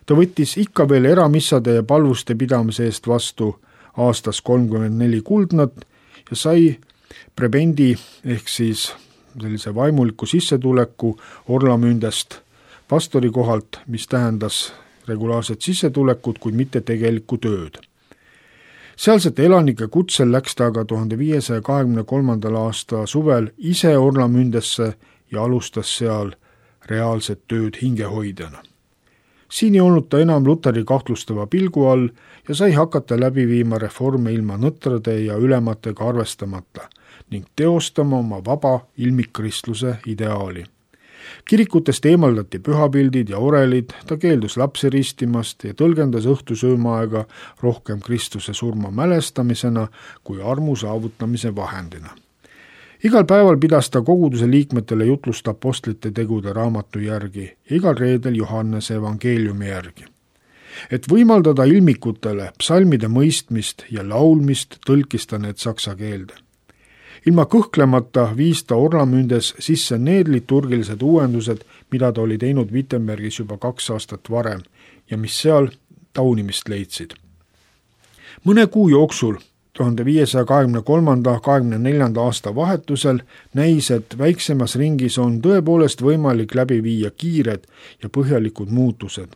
Ta võttis ikka veel eramissade ja palvuste pidamise eest vastu aastas 34 kuldnat ja sai prebendi ehk siis sellise vaimuliku sissetuleku orlamündest pastori kohalt, mis tähendas regulaarset sissetulekut, kuid mitte tegelikku tööd. Sealsete elanike kutsel läks ta aga 1523. aasta suvel ise orlamündesse ja alustas seal reaalset tööd hingehoidjana. Siin ei olnud ta enam Luteri kahtlustava pilgu all ja sai hakata läbi viima reforme ilma nõtrade ja ülematega arvestamata ning teostama oma vaba ilmikkristluse ideaali. Kirikutest eemaldati pühapildid ja orelid, ta keeldus lapsi ristimast ja tõlgendas õhtusöömaaega rohkem Kristuse surma mälestamisena kui armu saavutamise vahendina. Igal päeval pidas ta koguduse liikmetele jutlust apostlite tegude raamatu järgi ja igal reedel Johannese evangeeliumi järgi. Et võimaldada ilmikutele psalmide mõistmist ja laulmist, tõlkis ta need saksa keelde. Ilma kõhklemata viis ta orlamündes sisse need liturgilised uuendused, mida ta oli teinud Wittenbergis juba 2 aastat varem ja mis seal taunimist leidsid. Mõne kuu jooksul 1523-24 aasta vahetusel näis, et väiksemas ringis on tõepoolest võimalik läbi viia kiired ja põhjalikud muutused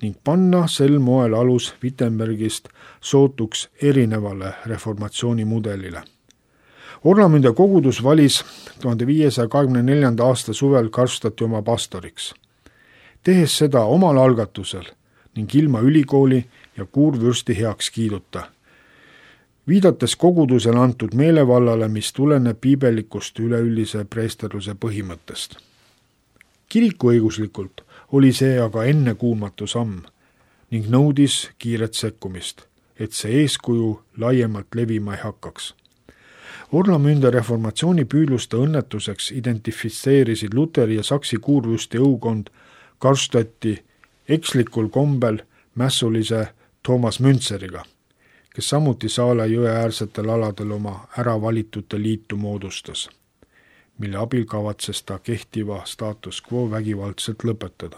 ning panna sel moel alus Wittenbergist sootuks erinevale reformatsioonimudelile. Orlamünde kogudus valis 1524. aasta suvel Karlstadti oma pastoriks, tehes seda omal algatusel ning ilma ülikooli ja kuurvürsti heaks kiiduta, viidates kogudusele antud meelevallale, mis tuleneb piibellikust üleüldise preesterluse põhimõttest. Kirikuõiguslikult oli see aga ennekuulmatu samm ning nõudis kiiret sekkumist, et see eeskuju laiemalt levima ei hakkaks. Orlamünde reformatsiooni püüdluste õnnetuseks identifitseerisid Luteri ja Saksi kuurvürsti õukond Karlstadti ekslikul kombel mässulise Toomas Müntseriga, kes samuti Saale jõe äärsetel aladel oma äravalitute liitu moodustas, mille abil kavatses ta kehtiva status quo vägivaldselt lõpetada.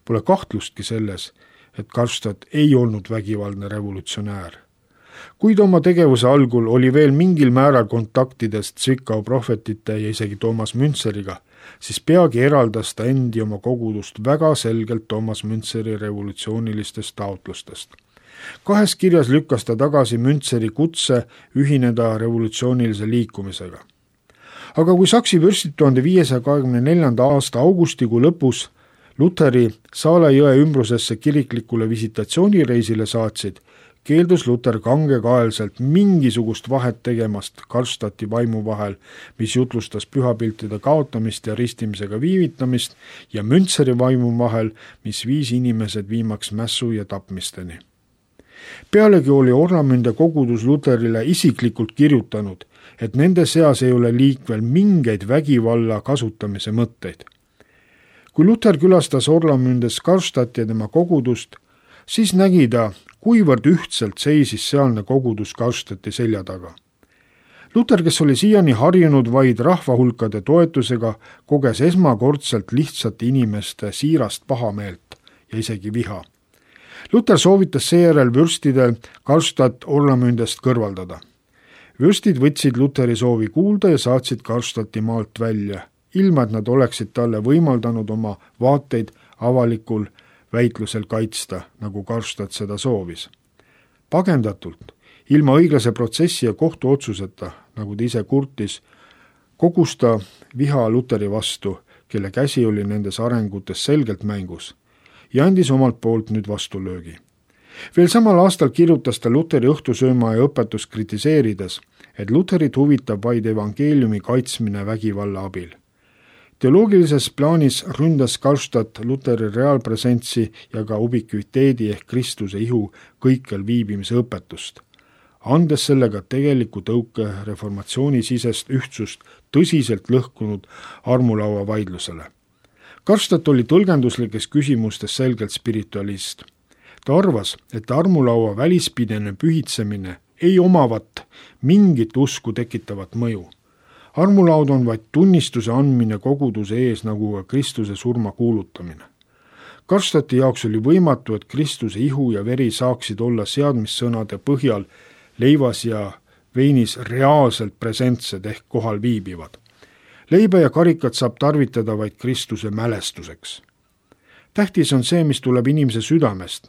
Pole kahtlustki selles, et Karlstadt ei olnud vägivaldne revolutsionäär. Kuid oma tegevuse algul oli veel mingil määral kontaktidest Zwickau prohvetite ja isegi Toomas Müntseriga, siis peagi eraldas ta endi oma kogudust väga selgelt Toomas Müntseri revolutsioonilistest taotlustest. 2 kirjas lükkas ta tagasi Müntseri kutse ühineda revolutsioonilise liikumisega. Aga kui Saksi vürstid 1524. aasta augustikuu lõpus Luteri Saale jõe ümbrusesse kiriklikule visitatsioonireisile saatsid, keeldus Luter kangekaelselt mingisugust vahet tegemast Karlstadti vaimu vahel, mis jutlustas pühapiltide kaotamist ja ristimisega viivitamist, ja Müntseri vaimu vahel, mis viis inimesed viimaks mässu ja tapmisteni. Pealegi oli Orlamünde kogudus Luterile isiklikult kirjutanud, et nende seas ei ole liikvel mingeid vägivalla kasutamise mõtteid. Kui Luter külastas Orlamündes Karlstadti ja tema kogudust, siis nägi ta, kuivõrd ühtselt seisis sealne kogudus Karlstadti selja taga. Luter, kes oli siiani harjunud vaid rahvahulkade toetusega, koges esmakordselt lihtsate inimeste siirast pahameelt ja isegi viha. Luter soovitas seejärel vürstidel Karlstadt Orlamündest kõrvaldada. Vürstid võtsid Luteri soovi kuulda ja saatsid Karlstadti maalt välja, ilma et nad oleksid talle võimaldanud oma vaateid avalikul väitlusel kaitsta, nagu Karlstadt seda soovis. Pagendatult, ilma õiglase protsessi ja kohtuotsuseta, nagu ta ise kurtis, kogus ta viha Luteri vastu, kelle käsi oli nendes arengutes selgelt mängus, ja andis omalt poolt nüüd vastulöögi. Veel samal aastal kirjutas ta Luteri õhtusööma ja õpetust kritiseerides, et Luterit huvitab vaid evangeeliumi kaitsmine vägivalla abil. Teoloogilises plaanis ründas Karlstadt Luteri reaalpresentsi ja ka ubikviteedi ehk Kristuse ihu kõikjal viibimise õpetust, andes sellega tegeliku tõuke reformatsioonisisest ühtsust tõsiselt lõhkunud armulaua vaidlusele. Karlstadt oli tõlgenduslikes küsimustes selgelt spiritualist. Ta arvas, et armulaua välispidene pühitsemine ei omavat mingit usku tekitavat mõju. Armulaud on vaid tunnistuse andmine koguduse ees, nagu ka Kristuse surma kuulutamine. Karlstadti jaoks oli võimatu, et Kristuse ihu ja veri saaksid olla seadmissõnade põhjal leivas ja veinis reaalselt presentsed ehk kohal viibivad. Leiba ja karikat saab tarvitada vaid Kristuse mälestuseks. Tähtis on see, mis tuleb inimese südamest,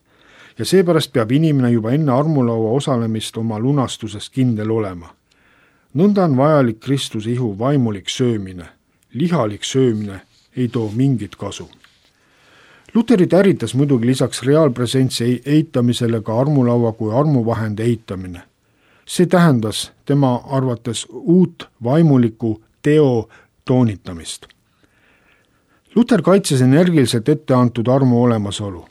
ja seepärast peab inimene juba enne armulaua osalemist oma lunastusest kindel olema. Nõnda on vajalik Kristuse ihu vaimulik söömine. Lihalik söömine ei too mingit kasu. Luterit ärritas muidugi lisaks reaalpresentsi eitamisele ka armulaua kui armuvahend eitamine. See tähendas tema arvates uut vaimuliku teo toonitamist. Luter kaitses energiliselt ette antud armu olemasolu.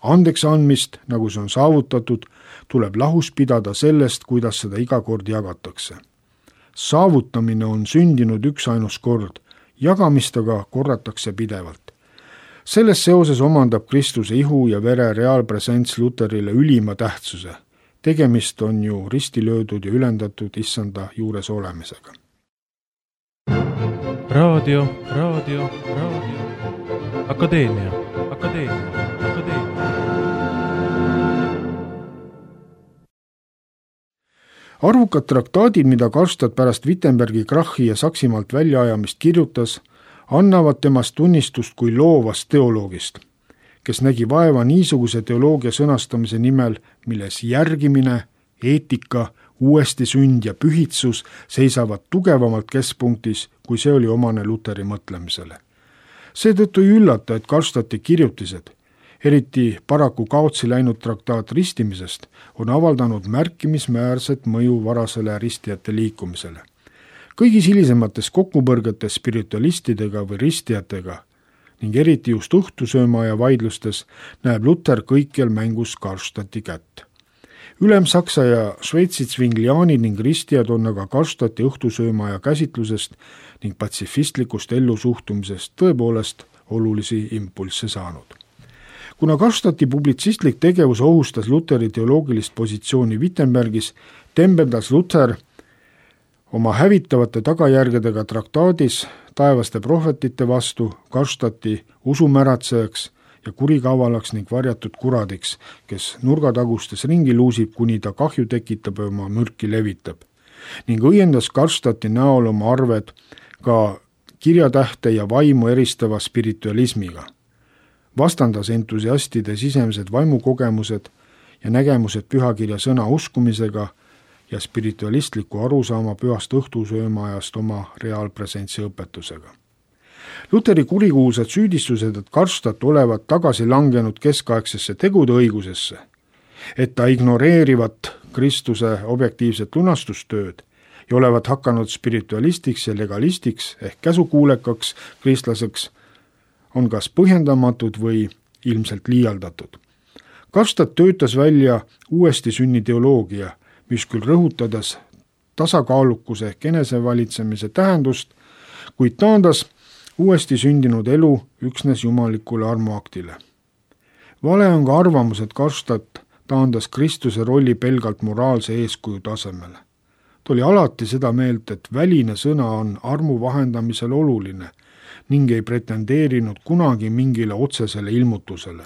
Andeks andmist, nagu see on saavutatud, tuleb lahus pidada sellest, kuidas seda iga kord jagatakse. Saavutamine on sündinud üksainus kord, jagamist aga korratakse pidevalt. Selles seoses omandab Kristuse ihu ja vere reaalpresents Luterile ülima tähtsuse. Tegemist on ju ristilöödud ja ülendatud issanda juures olemisega. Raadio. Akadeemia. Arvukad traktaadid, mida Karlstadt pärast Wittenbergi krahhi ja Saksimaalt väljaajamist kirjutas, annavad temast tunnistust kui loovast teoloogist, kes nägi vaeva niisuguse teoloogia sõnastamise nimel, milles järgimine, eetika, uuesti sünd ja pühitsus seisavad tugevamalt keskpunktis, kui see oli omane Luteri mõtlemisele. Seetõttu ei üllata, et Karlstadti kirjutised, eriti paraku kaotsi läinud traktaat ristimisest, on avaldanud märkimisväärset mõju varasele ristijate liikumisele. Kõigis hilisemates kokkupõrgetes spiritualistidega või ristijatega ning eriti just õhtusöömaaja vaidlustes näeb Luter kõikjal mängus Karlstadti kätt. Ülem-Saksa ja Šveitsi Zwinglianid ning ristijad on aga Karlstadti õhtusöömaaja käsitlusest ning patsifistlikust ellusuhtumisest tõepoolest olulisi impulsse saanud. Kuna Karlstadti publitsistlik tegevus ohustas Luteri teoloogilist positsiooni Wittenbergis, tembeldas Luter oma hävitavate tagajärgedega traktaadis taevaste prohvetite vastu Karlstadti usumäratsejaks ja kurikavalaks ning varjatud kuradiks, kes nurgatagustes ringi luusib, kuni ta kahju tekitab ja oma mürki levitab. Ning õiendas Karlstadti näol oma arved ka kirjatähte ja vaimu eristava spiritualismiga. Vastandas entusiastide sisemised vaimukogemused ja nägemused pühakirja sõna uskumisega ja spiritualistliku arusaama pühast õhtusöömaajast oma reaalpresentsi õpetusega. Luteri kurikuulsad süüdistused, et Karlstadt olevat tagasi langenud keskaegsesse tegude õigusesse, et ta ignoreerivat Kristuse objektiivset lunastustööd ja olevat hakanud spiritualistiks ja legalistiks ehk käsukuulekaks kristlaseks, on kas põhjendamatud või ilmselt liialdatud. Karlstadt töötas välja uuesti sünni teoloogia, mis küll rõhutades tasakaalukuse ehk enesevalitsemise tähendust, kuid taandas uuesti sündinud elu üksnes jumalikule armuaktile. Vale on ka arvamus, et Karlstadt taandas Kristuse rolli pelgalt moraalse eeskuju tasemele. Ta oli alati seda meelt, et väline sõna on armu vahendamisel oluline ning ei pretendeerinud kunagi mingile otsesele ilmutusele.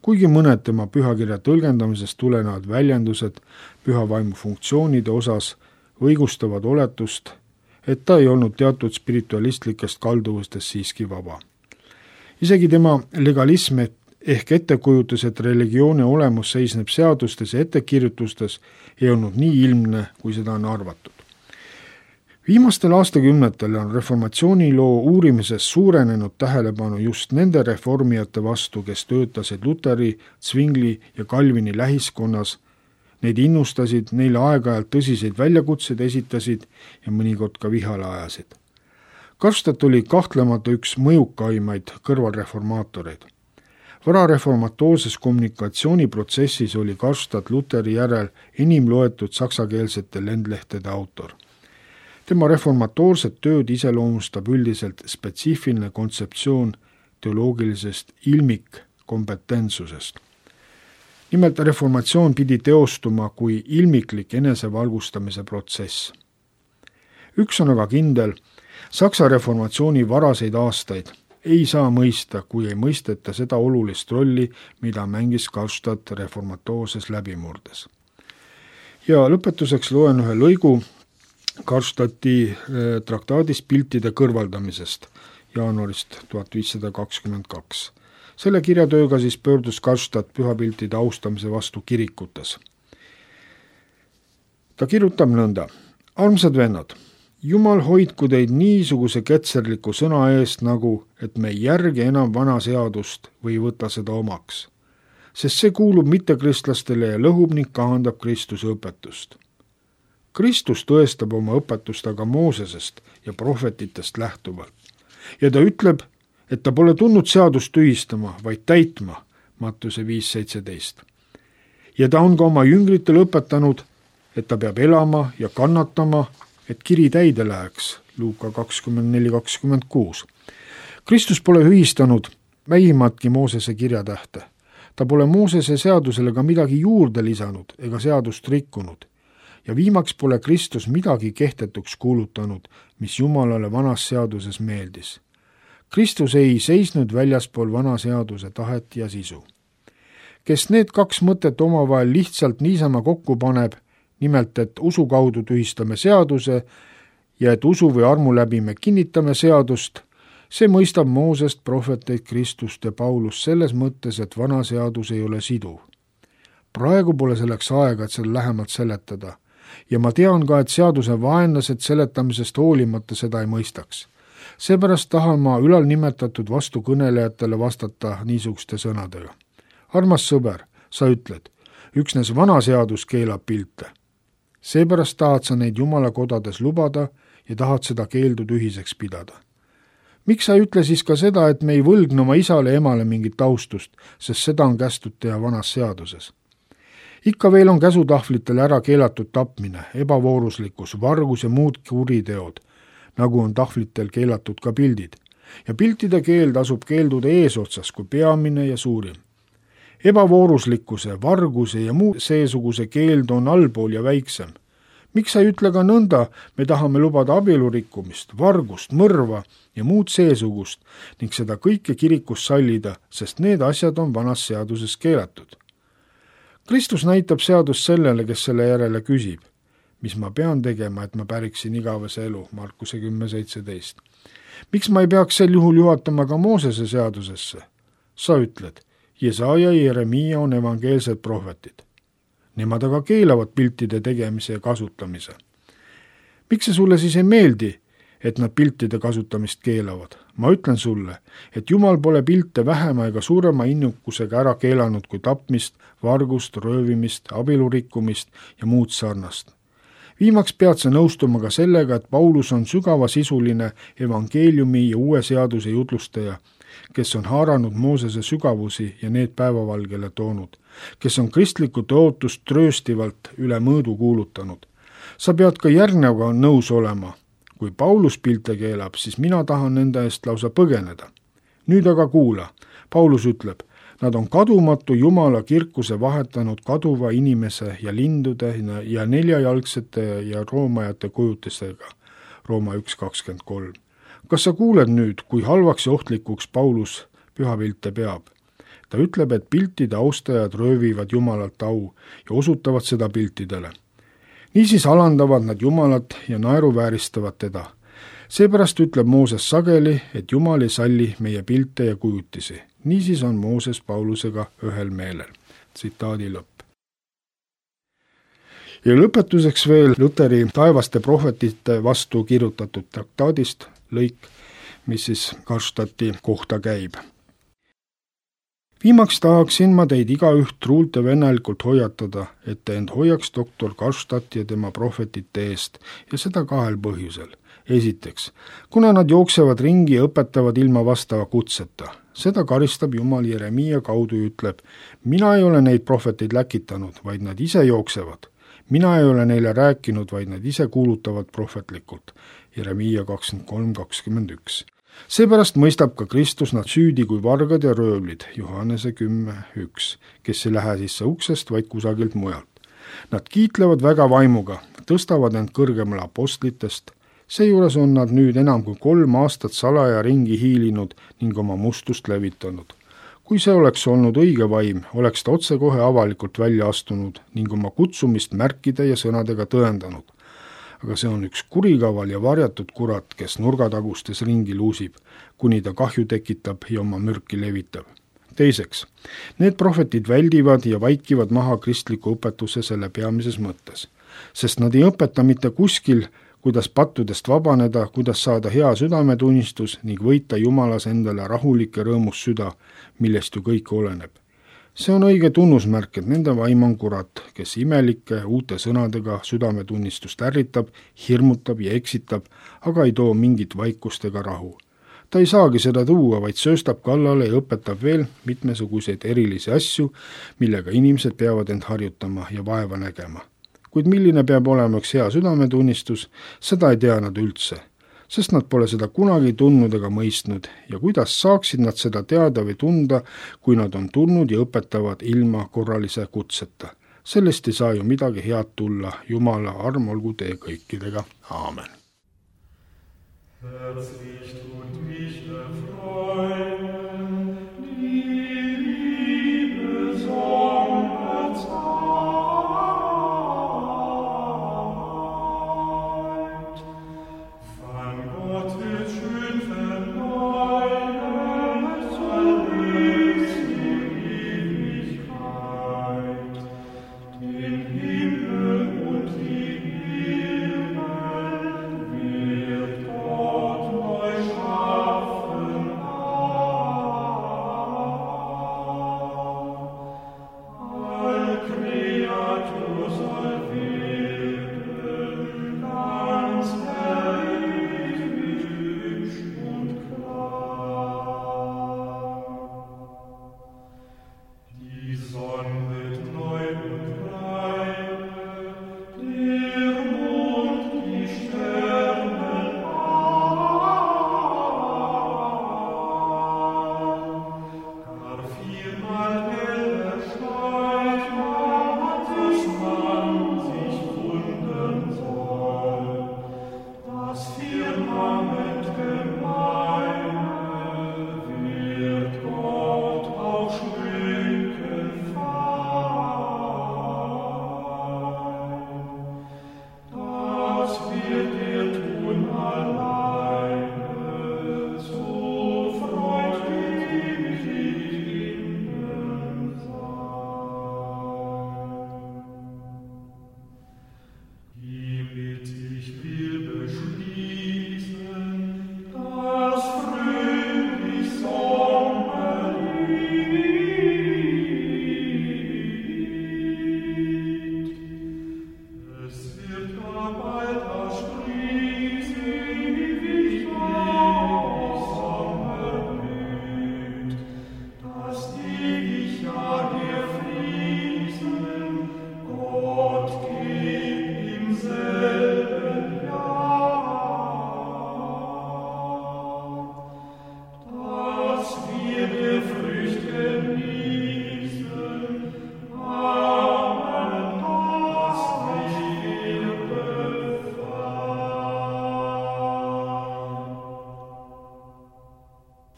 Kuigi mõned tema pühakirja tõlgendamisest tulenevad väljendused pühavaimu funktsioonide osas õigustavad oletust, et ta ei olnud teatud spiritualistlikest kalduvustest siiski vaba. Isegi tema legalism ehk ettekujutus, et religiooni olemus seisneb seadustes ja ettekirjutustes, ei olnud nii ilmne, kui seda on arvatud. Viimastel aastakümnetel on reformatsiooniloo uurimises suurenenud tähelepanu just nende reformijate vastu, kes töötasid Luteri, Zwingli ja Calvini lähiskonnas, neid innustasid, neile aeg-ajalt tõsiseid väljakutseid esitasid ja mõnikord ka vihale ajasid. Karlstadt oli kahtlemata üks mõjukaimaid kõrvalreformaatoreid. Varareformatoorses kommunikatsiooniprotsessis oli Karlstadt Luteri järel enim loetud saksakeelsete lendlehtede autor. Tema reformatoorset tööd iseloomustab üldiselt spetsiifiline kontseptsioon teoloogilisest ilmikkompetentsusest. Nimelt reformatsioon pidi teostuma kui ilmiklik enesevalgustamise protsess. Üks on aga kindel, Saksa reformatsiooni varaseid aastaid ei saa mõista, kui ei mõisteta seda olulist rolli, mida mängis Karlstadt reformatoorses läbimurdes. Ja lõpetuseks loen ühe lõigu Karlstadti traktaadist piltide kõrvaldamisest jaanuarist 1522. Selle kirjatööga siis pöördus Karlstadt pühapiltide austamise vastu kirikutes. Ta kirjutab nõnda: armsad vennad, Jumal hoidku teid niisuguse ketserliku sõna eest nagu, et me ei järgi enam vana seadust või võta seda omaks, sest see kuulub mittekristlastele ja lõhub ning kahandab Kristuse õpetust. Kristus tõestab oma õpetust aga Moosesest ja prohvetitest lähtuvalt. Ja ta ütleb, et ta pole tulnud seadust tühistama, vaid täitma, Mattuse 5.17. Ja ta on ka oma jüngritele õpetanud, et ta peab elama ja kannatama, et kiri täide läheks, Luuka 24.26. Kristus pole ühistanud vähimatki Moosese kirjatähte. Ta pole Moosese seadusele ka midagi juurde lisanud ega seadust rikkunud. Ja viimaks pole Kristus midagi kehtetuks kuulutanud, mis Jumalale vanas seaduses meeldis. Kristus ei seisnud väljaspool vana seaduse tahet ja sisu. Kes need kaks mõtet omavahel lihtsalt niisama kokku paneb, nimelt, et usu kaudu tühistame seaduse ja et usu või armu läbi me kinnitame seadust, see mõistab Moosest, prohveteid, Kristust ja Paulust selles mõttes, et vana seadus ei ole siduv. Praegu pole selleks aega, et seda lähemalt seletada ja ma tean ka, et seaduse vaenlased seletamisest hoolimata seda ei mõistaks. Seepärast tahan ma ülalnimetatud vastukõnelejatele vastata niisuguste sõnadega. Armas sõber, sa ütled, üksnes vana seadus keelab pilte. Seepärast tahad sa neid Jumala kodades lubada ja tahad seda keeldu tühiseks pidada. Miks sa ei ütle siis ka seda, et me ei võlgne oma isale ja emale mingit taustust, sest seda on kästud teha vanas seaduses? Ikka veel on käsutahvlitel ära keelatud tapmine, ebavooruslikkus, vargus ja muud kuriteod, nagu on tahvlitel keelatud ka pildid. Ja piltide keeld asub keeldude eesotsas kui peamine ja suurim. Ebavooruslikkuse, varguse ja muu seesuguse keeld on allpool ja väiksem. Miks sa ei ütle ka nõnda, me tahame lubada abielurikkumist, vargust, mõrva ja muud seesugust ning seda kõike kirikus sallida, sest need asjad on vanas seaduses keelatud. Kristus näitab seadust sellele, kes selle järele küsib, mis ma pean tegema, et ma päriksin igavese elu, Markuse 10:17. Miks ma ei peaks sel juhul juhatama ka Moosese seadusesse? Sa ütled, Jesaja ja Jeremiia on evangeelsed prohvetid. Nemad aga keelavad piltide tegemise ja kasutamise. Miks see sulle siis ei meeldi, et nad piltide kasutamist keelavad? Ma ütlen sulle, et Jumal pole pilte vähema ega suurema innukusega ära keelanud kui tapmist, vargust, röövimist, abielurikkumist ja muud sarnast. Viimaks pead sa nõustuma ka sellega, et Paulus on sügavasisuline evangeeliumi ja uue seaduse jutlustaja, kes on haaranud Moosese sügavusi ja need päevavalgele toonud, kes on kristlikku tõotust trööstivalt üle mõõdu kuulutanud. Sa pead ka järgneva nõus olema. Kui Paulus pilte keelab, siis mina tahan nende eest lausa põgeneda. Nüüd aga kuula, Paulus ütleb, nad on kadumatu Jumala kirkuse vahetanud kaduva inimese ja lindude ja neljajalgsete ja roomajate kujutistega, Rooma 1:23. Kas sa kuuled nüüd, kui halvaks ja ohtlikuks Paulus pühapilte peab? Ta ütleb, et piltide austajad röövivad Jumalalt au ja osutavad seda piltidele. Niisiis alandavad nad Jumalat ja naeruvääristavad teda. Seepärast ütleb Mooses sageli, et Jumal ei salli meie pilte ja kujutisi. Niisiis on Mooses Paulusega ühel meelel. Tsitaadi lõpp. Ja lõpetuseks veel Luteri taevaste prohvetite vastu kirjutatud traktaadist lõik, mis siis Karlstadti kohta käib. Viimaks tahaksin ma teid igaüht truult ja vennelikult hoiatada, et te end hoiaks doktor Karlstadti ja tema prohvetite eest ja seda kahel põhjusel. Esiteks, kuna nad jooksevad ringi ja õpetavad ilma vastava kutseta. Seda karistab Jumal Jeremiia kaudu ja ütleb, mina ei ole neid prohveteid läkitanud, vaid nad ise jooksevad. Mina ei ole neile rääkinud, vaid nad ise kuulutavad prohvetlikult. Jeremiia 23:21. Seepärast mõistab ka Kristus nad süüdi kui vargad ja röövlid, Johannese 10:1, kes ei lähe sisse uksest, vaid kusagilt mujalt. Nad kiitlevad väga vaimuga, tõstavad end kõrgemale apostlitest, seejuures on nad nüüd enam kui 3 aastat salaja ringi hiilinud ning oma mustust levitanud. Kui see oleks olnud õige vaim, oleks ta otsekohe avalikult välja astunud ning oma kutsumist märkide ja sõnadega tõendanud. Aga see on üks kurikaval ja varjatud kurat, kes nurgatagustes ringi luusib, kuni ta kahju tekitab ja oma mürki levitab. Teiseks, need prohvetid väldivad ja vaikivad maha kristliku õpetuse selle peamises mõttes, sest nad ei õpeta mitte kuskil, kuidas pattudest vabaneda, kuidas saada hea südametunnistus ning võita Jumalas endale rahulik ja rõõmus süda, millest ju kõik oleneb. See on õige tunnusmärk, et nende vaim on kurat, kes imelike uute sõnadega südametunnistust ärritab, hirmutab ja eksitab, aga ei too mingit vaikust ega rahu. Ta ei saagi seda tuua, vaid sööstab kallale ja õpetab veel mitmesuguseid erilisi asju, millega inimesed peavad end harjutama ja vaeva nägema. Kuid milline peab olema üks hea südametunnistus, seda ei tea nad üldse, sest nad pole seda kunagi tundnud ega mõistnud ja kuidas saaksid nad seda teada või tunda, kui nad on tulnud ja õpetavad ilma korralise kutseta. Sellest ei saa ju midagi head tulla, Jumala arm olgu teie kõikidega. Aamen.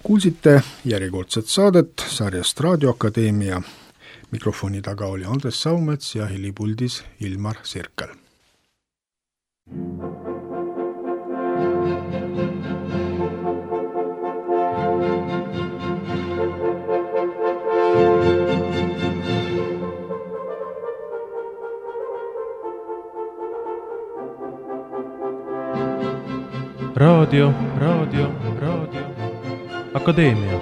Kuulsite järjekordset saadet sarjast Raadioakadeemia. Mikrofoni taga oli Andres Saumets ja helipuldis Ilmar Sirkel. Raadio. Akadeemia.